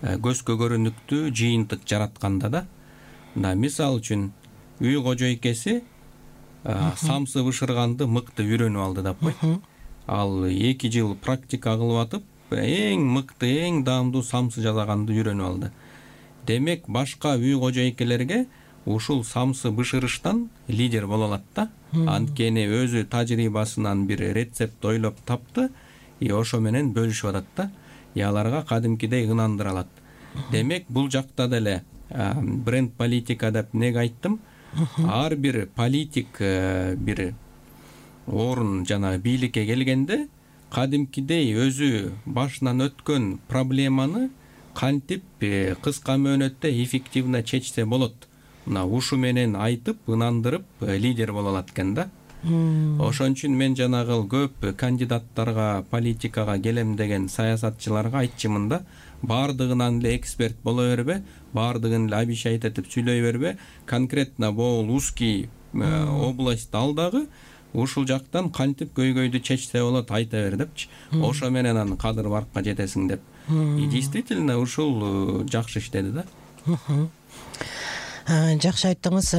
көзгө көрүнүктүү жыйынтык жаратканда да. Мисалы үчүн үй кожойкеси самсы бышырганды мыкты үйрөнүп алды деп кой. Ал 2 жыл практика кылып атып эң мыкты, эң даамдуу самсы жасаганды үйрөнүп алды. Демек, башка үй кожойкелерге ушул самсы бышырыштан лидер боло алат да. Анткени өзү тажрыйбасынан бир рецепт ойлоп тапты, ошо менен бөлүшүп атат да. Аларга кадимкидей ынандыра алат. Демек, бул жакта деле бренд политика деп неге айттым? Ар бир политик бир орун жана бийликке келгенде кадимкидей өзү башынан өткөн проблеманы кантип кыска мөөнөттө эффективно чечсе болот. Ушу менен айтып, ынандырып лидер боло алат экен да. Ошон үчүн мен жанагы көп кандидаттарга, политикага келем деген саясатчыларга айтчумун да, бардыгынан эле эксперт боло бербе, бардыгын эле обещать этип сүйлөй бербе, конкретно могул узкий область ал дагы ушул жактан кантип көйгөйдү чечсе болот айта бер депчи. Ошо менен аны кадыр баркка жетесиң деп. И действительно ушул жакшы иштеди да. Жакшы айттыңыз.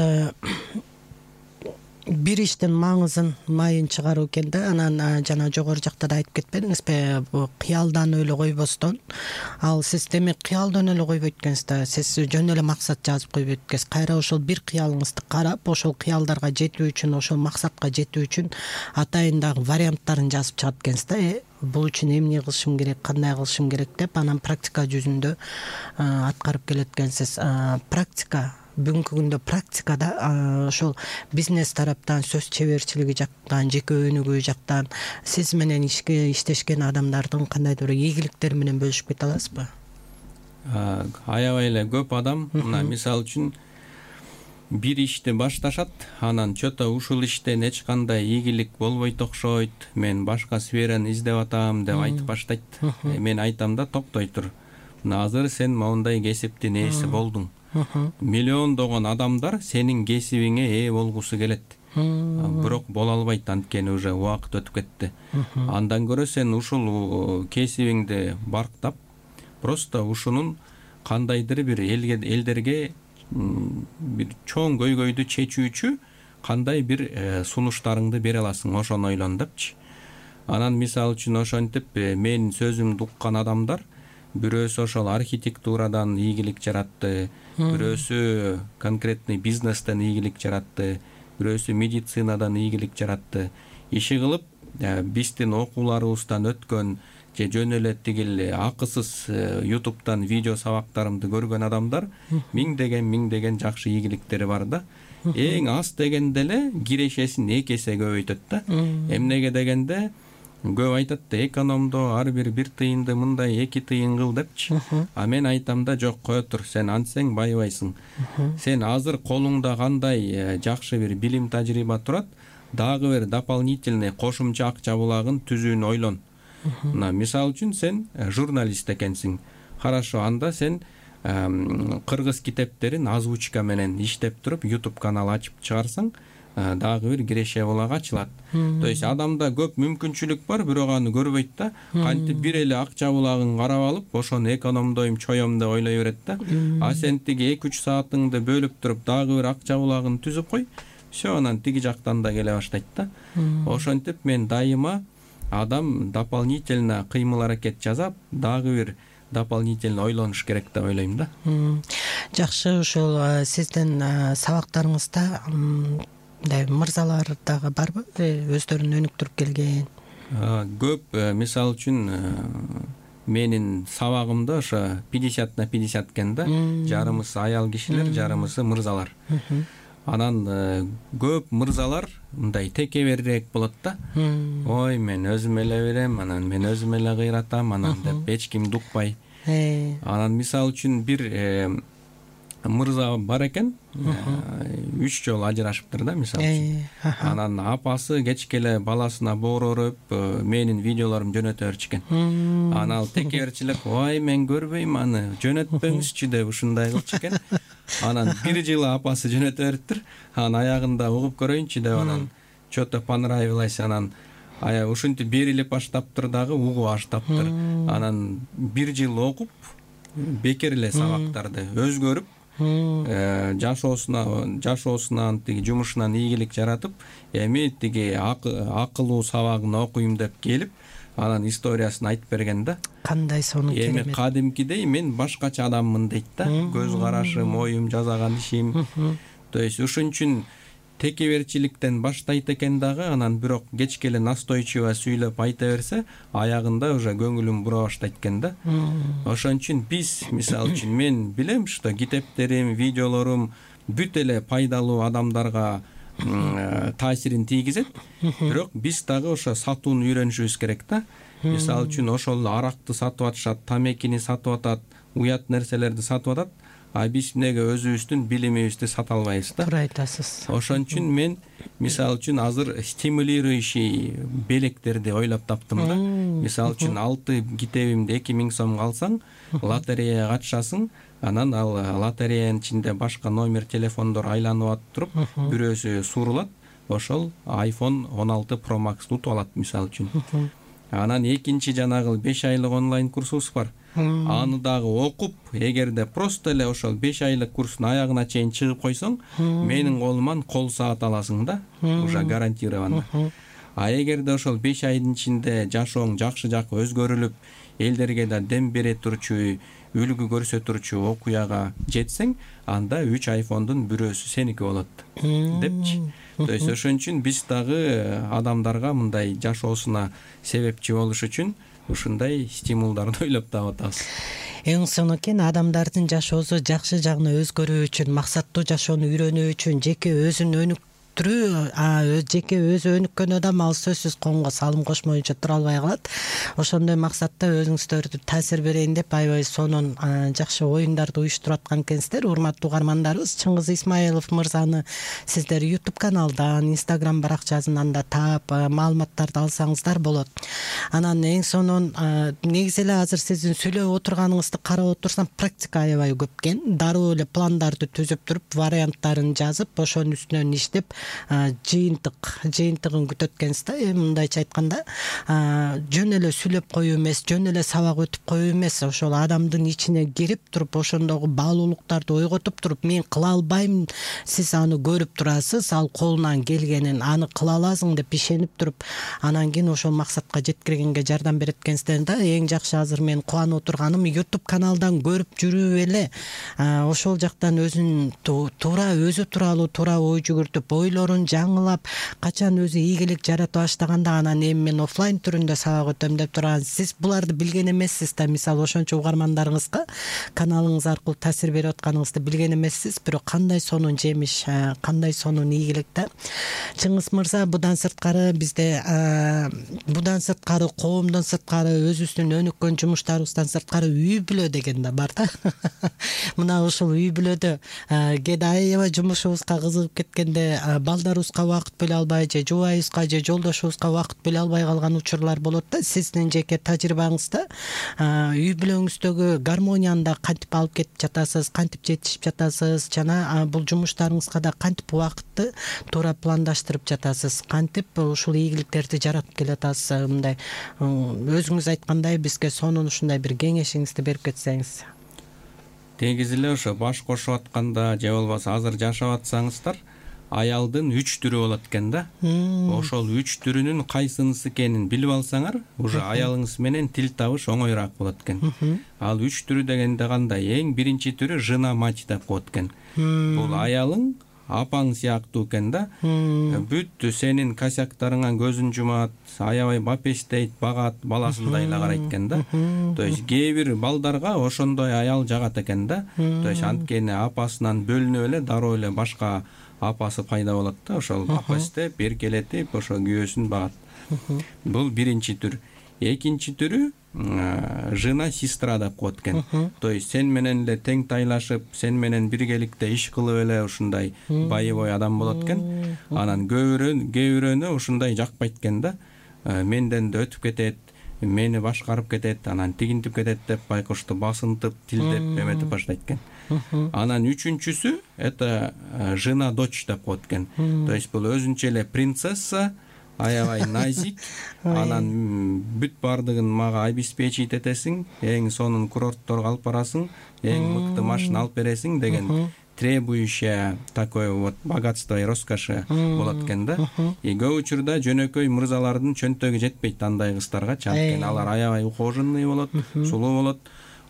Бир иштин маңызын майын чыгаруу экен да. Анан жана жогору жакта да айтып кетпедиңизби, бу кыялданып эле койбостон. Ал сиз демек кыялданып эле койбойт экенсиз да. Сиз жөн эле максат жазып койбойт экенсиз. Кайра ошол бир кыялыңызды карап, ошол кыялдарга жетүү үчүн, ошол максатка жетүү үчүн атайын дагы варианттарын жазып чыгат экенсиз да. Бул үчүн эмне кылышым керек, кандай кылышым керек деп, анан практика жүзүндө аткарып келет экенсиз. Практика бүгүнкү күндө практикада ошол бизнес тараптан, сөз чеберчилиги жактан, жеке өнүгүү жактан сиз менен иштешкен адамдардын кандайдыр ийгиликтери менен бөлүшүп кете аласызбы? Аябай эле көп адам, мисалы үчүн бир ишти башташат, анан чото ушул иштен эч кандай ийгилик болбойт окшойт, мен башка сфераны издеп атам деп айтып баштайт. Мен айтам да, токтой тур. Азыр сен моундай кесиптин ээси болдуң. Миллиондогон адамдар сенин кесибиңе ээ болгусу келет. Бирок боло албайт, анткени уже убакыт өтүп кетти. Андан көрө сен ушул кесибиңди барктап, просто ушунун кандайдыр бир элдерге бир чоң көйгөйдү чечүүчү кандай бир сунуштарыңды бере аласың, ошону ойлон депчи. Анан мисалы үчүн ошентип менин сөзүмдү уккан адамдар бирөөсү ошол архитектурадан ийгилик жаратты, бирөөсү конкретный бизнестен ийгилик жаратты, бирөөсү медицинадан ийгилик жаратты. Иши кылып биздин окууларыбыздан өткөн же жөн эле тигил акысыз YouTube'дан видео сабактарымды көргөн адамдар миңдеген жакшы ийгиликтери бар да. Эң аз дегенде эле кирешесин 2 эсе көбөйтөт да. Эмнеге дегенде көп айтат да, экономдо ар бир тыйынды мындай 2 тыйын кыл депчи. А мен айтам да, жок, кое тур, сен антсең байыбайсың. Сен азыр колуңда кандай жакшы бир билим тажрыйба турат, дагы бир дополнительный кошумча акча булагын түзүүнү ойлон. Мисалы үчүн сен журналист экенсиң. Хорошо, анда сен кыргыз китептерин озвучка менен иштеп туруп YouTube канал ачып чыгарсаң, дагы бир киреше булак ачылат. То есть адамда көп мүмкүнчүлүк бар, бирок аны көрбөйт да. Кантип бир эле акча булагын карап алып, ошону экономдойм, чоем деп ойлой берет да. А сен тиги 2-3 саатыңды бөлүп туруп дагы бир акча булагын түзүп кой, все, анан тиги жактан да келе баштайт да. Ошентип мен дайыма адам дополнительно кыймыл аракет жасап, дагы бир дополнительно ойлонуш керек деп ойлойм да. Жакшы, ушул сиздин сабактарыңызда мырзалар дагы барбы? Өздөрүн өнүктүрүп келген? Көп, мисалы үчүн менин сабагымда ошо 50/50 экен да. Жарымысы аял кишилер, жарымысы мырзалар. Анан көп мырзалар мындай текеберирээк болот да. Ой, мен өзүм эле берем, анан мен өзүм эле кыйратам, анан деп эч кимди укпай. Анан мисалы үчүн бир мырза бар экен, 3 жолу ажырашыптыр да, мисалы үчүн. Анан апасы кечке эле баласына боорорып, менин видеолорумду жөнөтө берчү экен. Анан ал текеберчилик, ой, мен көрбөйм аны, жөнөтпөңүзчү деп ушундай кылчу экен. Анан 1 жылы апасы жөнөтө бериптир. Анан аягында угуп көрөйүнчү деп, анан что-то понравилось, анан ушинтип берилип баштаптыр дагы, угуп баштаптыр. Анан 1 жыл окуп, бекер эле сабактарды өзгөрүп, жашоосунан тиги жумушунан ийгилик жаратып, эми тиги акылуу сабагын окуйм деп келип, анан историясын айтып берген да. Кандай сонун керемет. Эми кадимкидей мен башкача адаммын дейт да. Көз карашым, оюм, жасаган ишим. То есть ушун үчүн текеберчиликтен баштайт экен дагы, анан бирок кечке эле настойчиво сүйлөп айта берсе, аягында уже көңүлүм бура баштайт экен да. Ошон үчүн биз, мисалы үчүн, мен билем, что китептерим, видеолорум бүт эле пайдалуу адамдарга таасирин тийгизет, бирок биз дагы ошо сатууну үйрөнүшүбүз керек да. Мисалы үчүн ошол аракты сатып атышат, тамекини сатып атат, уят нерселерди сатып атат, а биз эмнеге өзүбүздүн билимибизди сата албайбыз да. Туура айтасыз. Ошон үчүн мен мисалы үчүн азыр стимулирующий белектерди ойлоп таптым да. Мисалы үчүн 6 китебимди 2000 сомго алсаң, лотереяга катышасың, анан ал лотереянын ичинде башка номер телефондор айланып атып туруп, бирөөсү сурулат, ошол iPhone 16 Pro Max утуп алат, мисалы үчүн. Анан экинчи жанагы 5 айлык онлайн курсубуз бар. Аны дагы окуп, эгерде просто эле ошол 5 айлык курстун аягына чейин чыгып койсоң, менин колуман кол саат аласың да, уже гарантированно. А эгерде ошол 5 айдын ичинде жашооң жакшы жакка өзгөрүлүп, элдерге да дем бере турчу, үлгү көрсөтүрчү окуяга жетсең, анда 3 айфондун бирөөсү сеники болот депчи. То есть ошон үчүн биз дагы адамдарга мындай жашоосуна себепчи болуш үчүн ушундай стимулдарды ойлоп таап атабыз. Эң сонун экен, адамдардын жашоосу жакшы жагына өзгөрүү үчүн, максаттуу жашоону үйрөнүү үчүн, жеке өзүн өнүктүрүү, жеке өзү өнүккөн адам ал сөзсүз коомго салым кошмоюнча тура албай калат. Ошондой максатта өзүңүздөрдү таасир берейин деп аябай сонун жакшы оюндарды уюштуруп аткан экенсиздер. Урматтуу угармандарыбыз, Чыңгыз Исмаилов мырзаны сиздер YouTube каналдан, Instagram баракчасынан да таап, маалыматтарды алсаңыздар болот. Анан эң сонун негизи эле азыр сиздин сүйлөп отурганыңызды карап отурсам, практика аябай көп экен. Дароо эле пландарды түзүп туруп, варианттарын жазып, ошонун үстүнөн иштеп, жыйынтыгын күтөт экенсиз да. Мындайча айтканда, жөн эле сүйлөп коюу эмес, жөн эле сабак өтүп коюу эмес, ошол адамдын ичине кирип туруп, ошондогу баалуулуктарды ойготуп туруп, мен кыла албайм, сиз аны көрүп турасыз, ал колунан келгенин, аны кыла аласың деп ишенип туруп, анан кийин ошол максатка жеткиргенге жардам берет экенсиздер да. Эң жакшы азыр мен кубанып отурганым, YouTube каналдан көрүп жүрүп эле ошол жактан өзүн туура өзү тууралуу туура ой жүгүртүп, ойлоп ойлорун жаңылап качан өзү ийгилик жарата баштаганда анан эми мен оффлайн түрүндө сабак өтөм деп турган, сиз буларды билген эмессиз да. Мисалы ошончо угармандарыңызга каналыңыз аркылуу таасир берип атканыңызды билген эмессиз, бирок кандай сонун жемиш, кандай сонун ийгилик да. Чыңгыз мырза, будан сырткары бизде коомдон сырткары, өзүбүздүн өнүккөн жумуштарыбыздан сырткары үй бүлө деген да бар да. Мына ушул үй бүлөдө кээде аябай жумушубузга кызыгып кеткенде балдарыбызга убакыт бөлө албай, же жубайыбызга, же жолдошубузга убакыт бөлө албай калган учурлар болот да. Сиздин жеке тажрыйбаңызда үй бүлөңүздөгү гармонияны кантип алып кетип жатасыз, кантип жетишип жатасыз, жана бул жумуштарыңызга да кантип убакытты туура пландаштырып жатасыз, кантип ушул ийгиликтерди жаратып келатасыз? Мындай өзүңүз айткандай бизге сонун ушундай бир кеңешиңизди берип кетсеңиз. Негизи эле ошо баш кошуп атканда же болбосо азыр жашап атсаңыздар, аялдын 3 түрү болот экен да. Ошол 3 түрүнүн кайсынысы экенин билип алсаңар, уже аялыңыз менен тил табыш оңоюраак болот экен. Ал 3 түрү дегенде кандай? Эң биринчи түрү жена мать деп коет экен. Бул аялың апаң сыяктуу экен да. Бүт сенин косяктарыңа көзүн жумат, аябай бапестейт, багат, баласындай эле карайт экен да. То есть кээ бир балдарга ошондой аял жагат экен да. То есть анткени апасынан бөлүнүп эле дароо эле башка апасы пайда болот да, ошол бапестеп, эркелетип, ошо күйөөсүн багат. Бул биринчи түр. Экинчи түрү жена сестра деп коет экен. То есть сен менен эле тең тайлашып, сен менен биргеликте иш кылып эле ушундай боевой адам болот экен. Анан кээ бирөөнө ушундай жакпайт экен да. Менден да өтүп кетет, мени башкарып кетет, анан тигинтип кетет деп байкошту басынтып, тилдеп, эметип баштайт экен. Анан үчүнчүсү это жена дочь деп коет экен. То есть бул өзүнчө эле принцесса, аябай назик, анан бүт бардыгын мага обеспечить этесиң, эң сонун курортторго алып барасың, эң мыкты машина алып бересиң деген требующая такое вот богатство и роскоши болот экен да. И көп учурда жөнөкөй мырзалардын чөнтөгү жетпейт андай кыздарга, анткени алар аябай ухоженный болот, сулуу болот.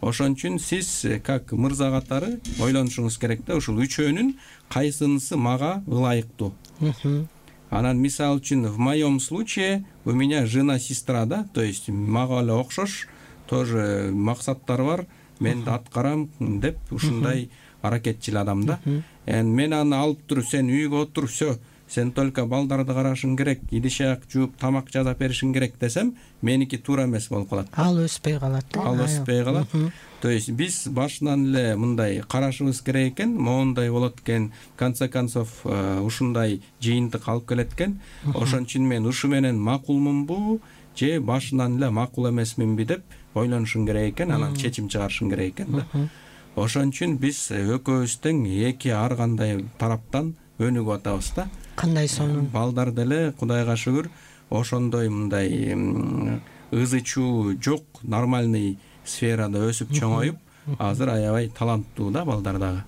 Ошон үчүн сиз как мырза катары ойлонушуңуз керек да, ушул үчөөнүн кайсынысы мага ылайыктуу. Анан мисалы үчүн в моем случае у меня жена-сестра, да, то есть мага эле окшош, тоже максаттар бар, мен да аткарам деп ушундай аракетчил адам да. Мен аны алып туруп, сен үйгө отур, все, сен только балдарды карашың керек, идиш аяк жууп, тамак жасап беришиң керек десем, меники туура эмес болуп калат. Ал өспөй калат. Ал өспөй калат. То есть биз башынан эле мындай карашыбыз керек экен, моундай болот экен, в конце концов ушундай жыйынтык алып келет экен. Ошон үчүн мен ушу менен макулмунбу, же башынан эле макул эмесминби деп ойлонушуң керек экен, анан чечим чыгарышың керек экен да. Ошон үчүн биз экөөбүз тең эки ар кандай тараптан өнүгүп атабыз да. Кандай сонун. Балдар деле Кудайга шүгүр ошондой мындай ызы чуу жок, нормальный сферада өсүп чоңоюп, азыр аябай таланттуу да балдар дагы.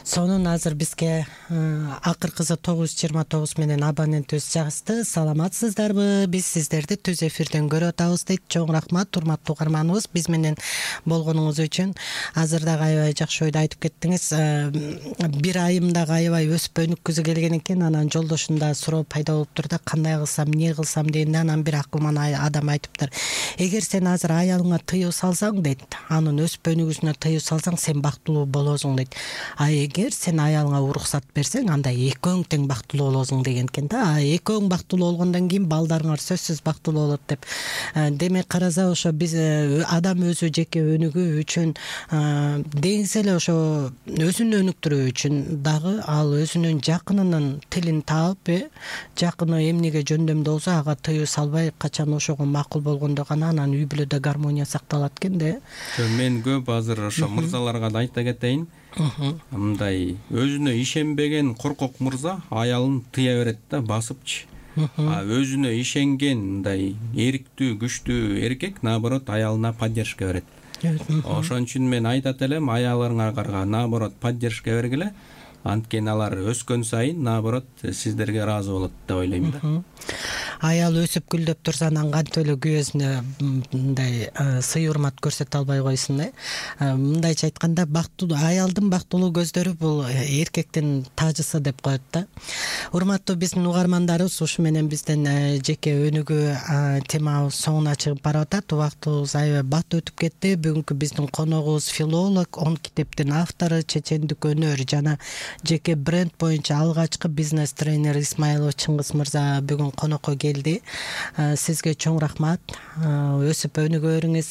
Сонун. Азыр бизге акыркысы 929 менен абонентибиз жазды. Саламатсыздарбы? Биз сиздерди түз эфирден көрүп атабыз дейт. Чоң рахмат, урматтуу угарманыбыз, биз менен болгонуңуз үчүн. Азыр дагы аябай жакшы ойду айтып кеттиңиз. Бир айымдагы аябай өсүп өнүккүзү келген экен. Анан жолдошунда суроо пайда болуптур да, кандай кылсам, эмне кылсам дегенде, анан бир акылман адам айтыптыр. Эгер сен азыр аялыңа тыюу салсаң дейт, анын өсүп өнүгүүсүнө тыюу салсаң, сен бактылуу болосуң дейт. Эгер сен аялыңа уруксат берсең, анда экөөң тең бактылуу болосуң деген экен да. Экөөң бактылуу болгондон кийин балдарыңар сөзсүз бактылуу болот деп. Демек караса, ошо биз адам өзү жеке өнүгүү үчүн деңиз эле ошо өзүн өнүктүрүү үчүн дагы ал өзүнүн жакынынын тилин таап, жакыны эмнеге жөндөмдүү болсо ага тыюу салбай, качан ошого макул болгондо гана анан үй бүлөдө гармония сакталат экен да. Мен көп азыр ошо мырзаларга да айта кетейин. Мындай өзүнө ишенбеген коркок мырза аялын тыя берет да, басыпчы. Өзүнө ишенген мындай эриктүү, күчтүү эркек наоборот аялына поддержка берет. Ошон үчүн мен айтат элем, аялыңарга наоборот поддержка бергиле. Анткени алар өскөн сайын наоборот сиздерге ыраазы болот деп ойлойм да. Аял өсүп гүлдөп турса анан кантип эле күйөөсүнө мындай сый урмат көрсөтө албай койсун мындайча айтканда аялдын бактылуу көздөрү бул эркектин тажысы деп коет да. Урматтуу биздин угармандарыбыз, ушу менен биздин жеке өнүгүү темабыз соңуна чыгып барып атат. Убактыбыз аябай бат өтүп кетти. Бүгүнкү биздин коногубуз филолог, 10 китептин автору, чечендик өнөр жана жеке бренд боюнча алгачкы бизнес тренер Исмайлов Чыңгыз мырза бүгүн конокко келди. Сизге чоң рахмат. Өсүп өнүгөрүңүз.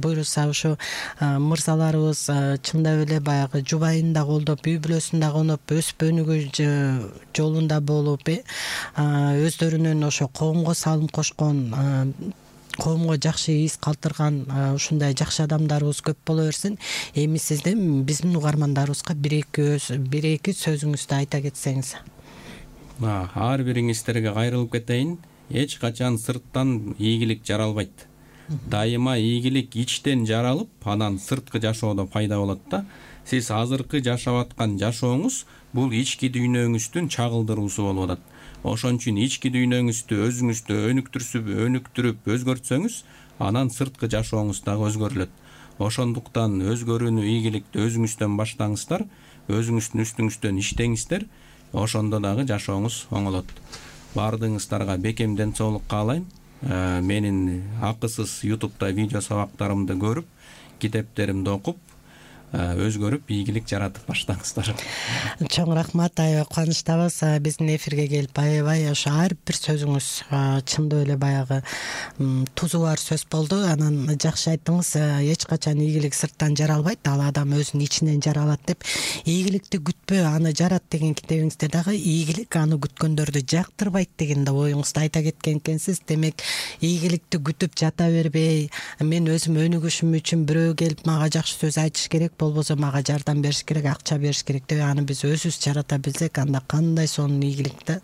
Буюрса ушу мырзаларыбыз чындап эле баягы жубайын да колдоп, үй бүлөсүн да коноп, өсүп өнүгүү жолунда болуп, өздөрүнүн ошо коомго салым кошкон, коомго жакшы из калтырган ушундай жакшы адамдарыбыз көп боло берсин. Эми сиздин биздин угармандарыбызга бир эки сөзүңүздү айта кетсеңиз. Ар бириңиздерге кайрылып кетейин. Эч качан сырттан ийгилик жаралбайт. Дайыма ийгилик ичтен жаралып, анан сырткы жашоодо пайда болот да. Сиз азыркы жашап аткан жашооңуз бул ички дүйнөңүздүн чагылдыруусу болуп атат. Ошон үчүн ички дүйнөңүздү өзүңүздү өнүктүрүп өзгөртсөңүз, анан сырткы жашооңуз дагы өзгөрүлөт. Ошондуктан өзгөрүүнү, ийгиликти өзүңүздөн баштаңыздар, өзүңүздүн үстүңүздөн иштеңиздер, ошондо дагы жашооңуз оңолот. Баардыгыңыздарга бекем ден соолук каалайм. Менин акысыз YouTube'да видео сабактарымды көрүп, китептеримди окуп, өзгөрүп, ийгилик жаратып баштаңыздар. Чоң рахмат, аябай кубанычтабыз. Биздин эфирге келип аябай ошо ар бир сөзүңүз чындап эле баягы тузу бар сөз болду. Анан жакшы айттыңыз. Эч качан ийгилик сырттан жаралбайт, ал адам өзүнүн ичинен жаралат деп. Ийгиликти күтпө, аны жарат деген китебиңизде дагы ийгилик аны күткөндөрдү жактырбайт деген да оюңузду айта кеткен экенсиз. Демек, ийгиликти күтүп жата бербей, мен өзүм өнүгүшүм үчүн бирөө келип мага жакшы сөз айтыш керек, болбосо мага жардам бериш керек, акча бериш керек деп аны биз өзүбүз жарата билсек, анда кандай сонун ийгилик да.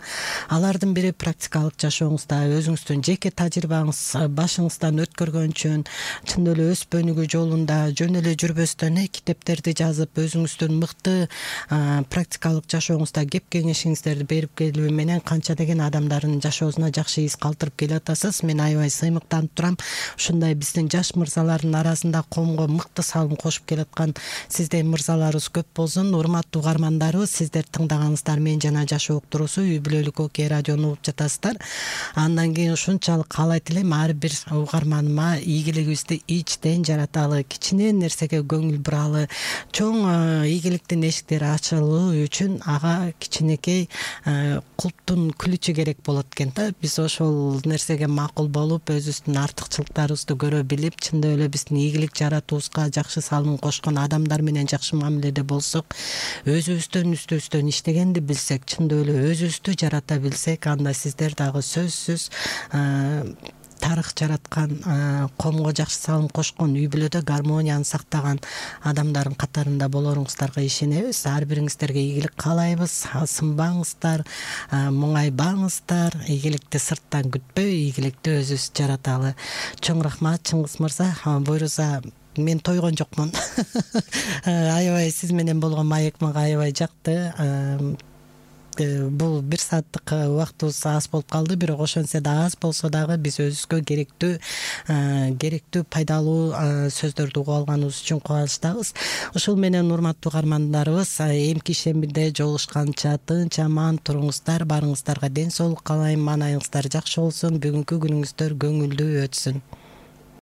Алардын бири практикалык жашооңузда өзүңүздүн жеке тажрыйбаңыз башыңыздан өткөргөнчөн, чын эле өсүп өнүгүү жолунда жөн эле жүрбөстөн китептерди жазып, өзүңүздүн мыкты практикалык жашооңузда кеп кеңешиңиздерди берип келүү менен канча деген адамдардын жашоосуна жакшы из калтырып келатасыз. Мен аябай сыймыктанып турам. Ушундай биздин жаш мырзалардын арасында коомго мыкты салым кошуп келаткан сизден мырзаларыбыз көп болсун. Урматтуу угармандарыбыз, сиздер тыңдаганыңыздар Мен жана жашоо уктуруусу үй бүлөлүк окей радиону угуп жатасыздар. Андан кийин ушунчалык каалайт элем ар бир угарманыма ийгилигибизди ичтен жараталы, кичине нерсеге көңүл буралы, чоң ийгиликтин эшиктери ачылуу үчүн ага кичинекей култтун күлүчү керек болот экен да. Биз ошол нерсеге макул болуп, өзүбүздүн артыкчылыктарыбызды көрө билип, чындап эле биздин ийгилик жаратуубузга жакшы салым кошкон адамдар менен жакшы мамиледе болсок, өзүбүздөн үстүбүздөн иштегенди билсек, чындап эле өзүбүздү жарата билсек, анда сиздер дагы сөзсүз тарых жараткан, коомго жакшы салым кошкон, үй бүлөдө гармонияны сактаган адамдардын катарында болоруңуздарга ишенебиз. Ар бириңиздерге ийгилик каалайбыз. Сынбаңыздар, муңайбаңыздар. Ийгиликти сырттан күтпөй, ийгиликти өзүбүз жараталы. Чоң рахмат, Чыңгыз мырза. Буйруса мен тойгон жокмун. Аябай сиз менен болгон маек мага аябай жакты. Бул 1 сааттык убактыбыз аз болуп калды, бирок ошентсе да аз болсо дагы биз өзүбүзгө керектүү пайдалуу сөздөрдү угуп алганыбыз үчүн кубанычтабыз. Ушул менен урматтуу угармандарыбыз, эмки шембиде жолугушканча тынч аман туруңуздар, барыңыздарга ден соолук каалайм, маанайыңыздар жакшы болсун, бүгүнкү күнүңүздөр көңүлдүү өтсүн.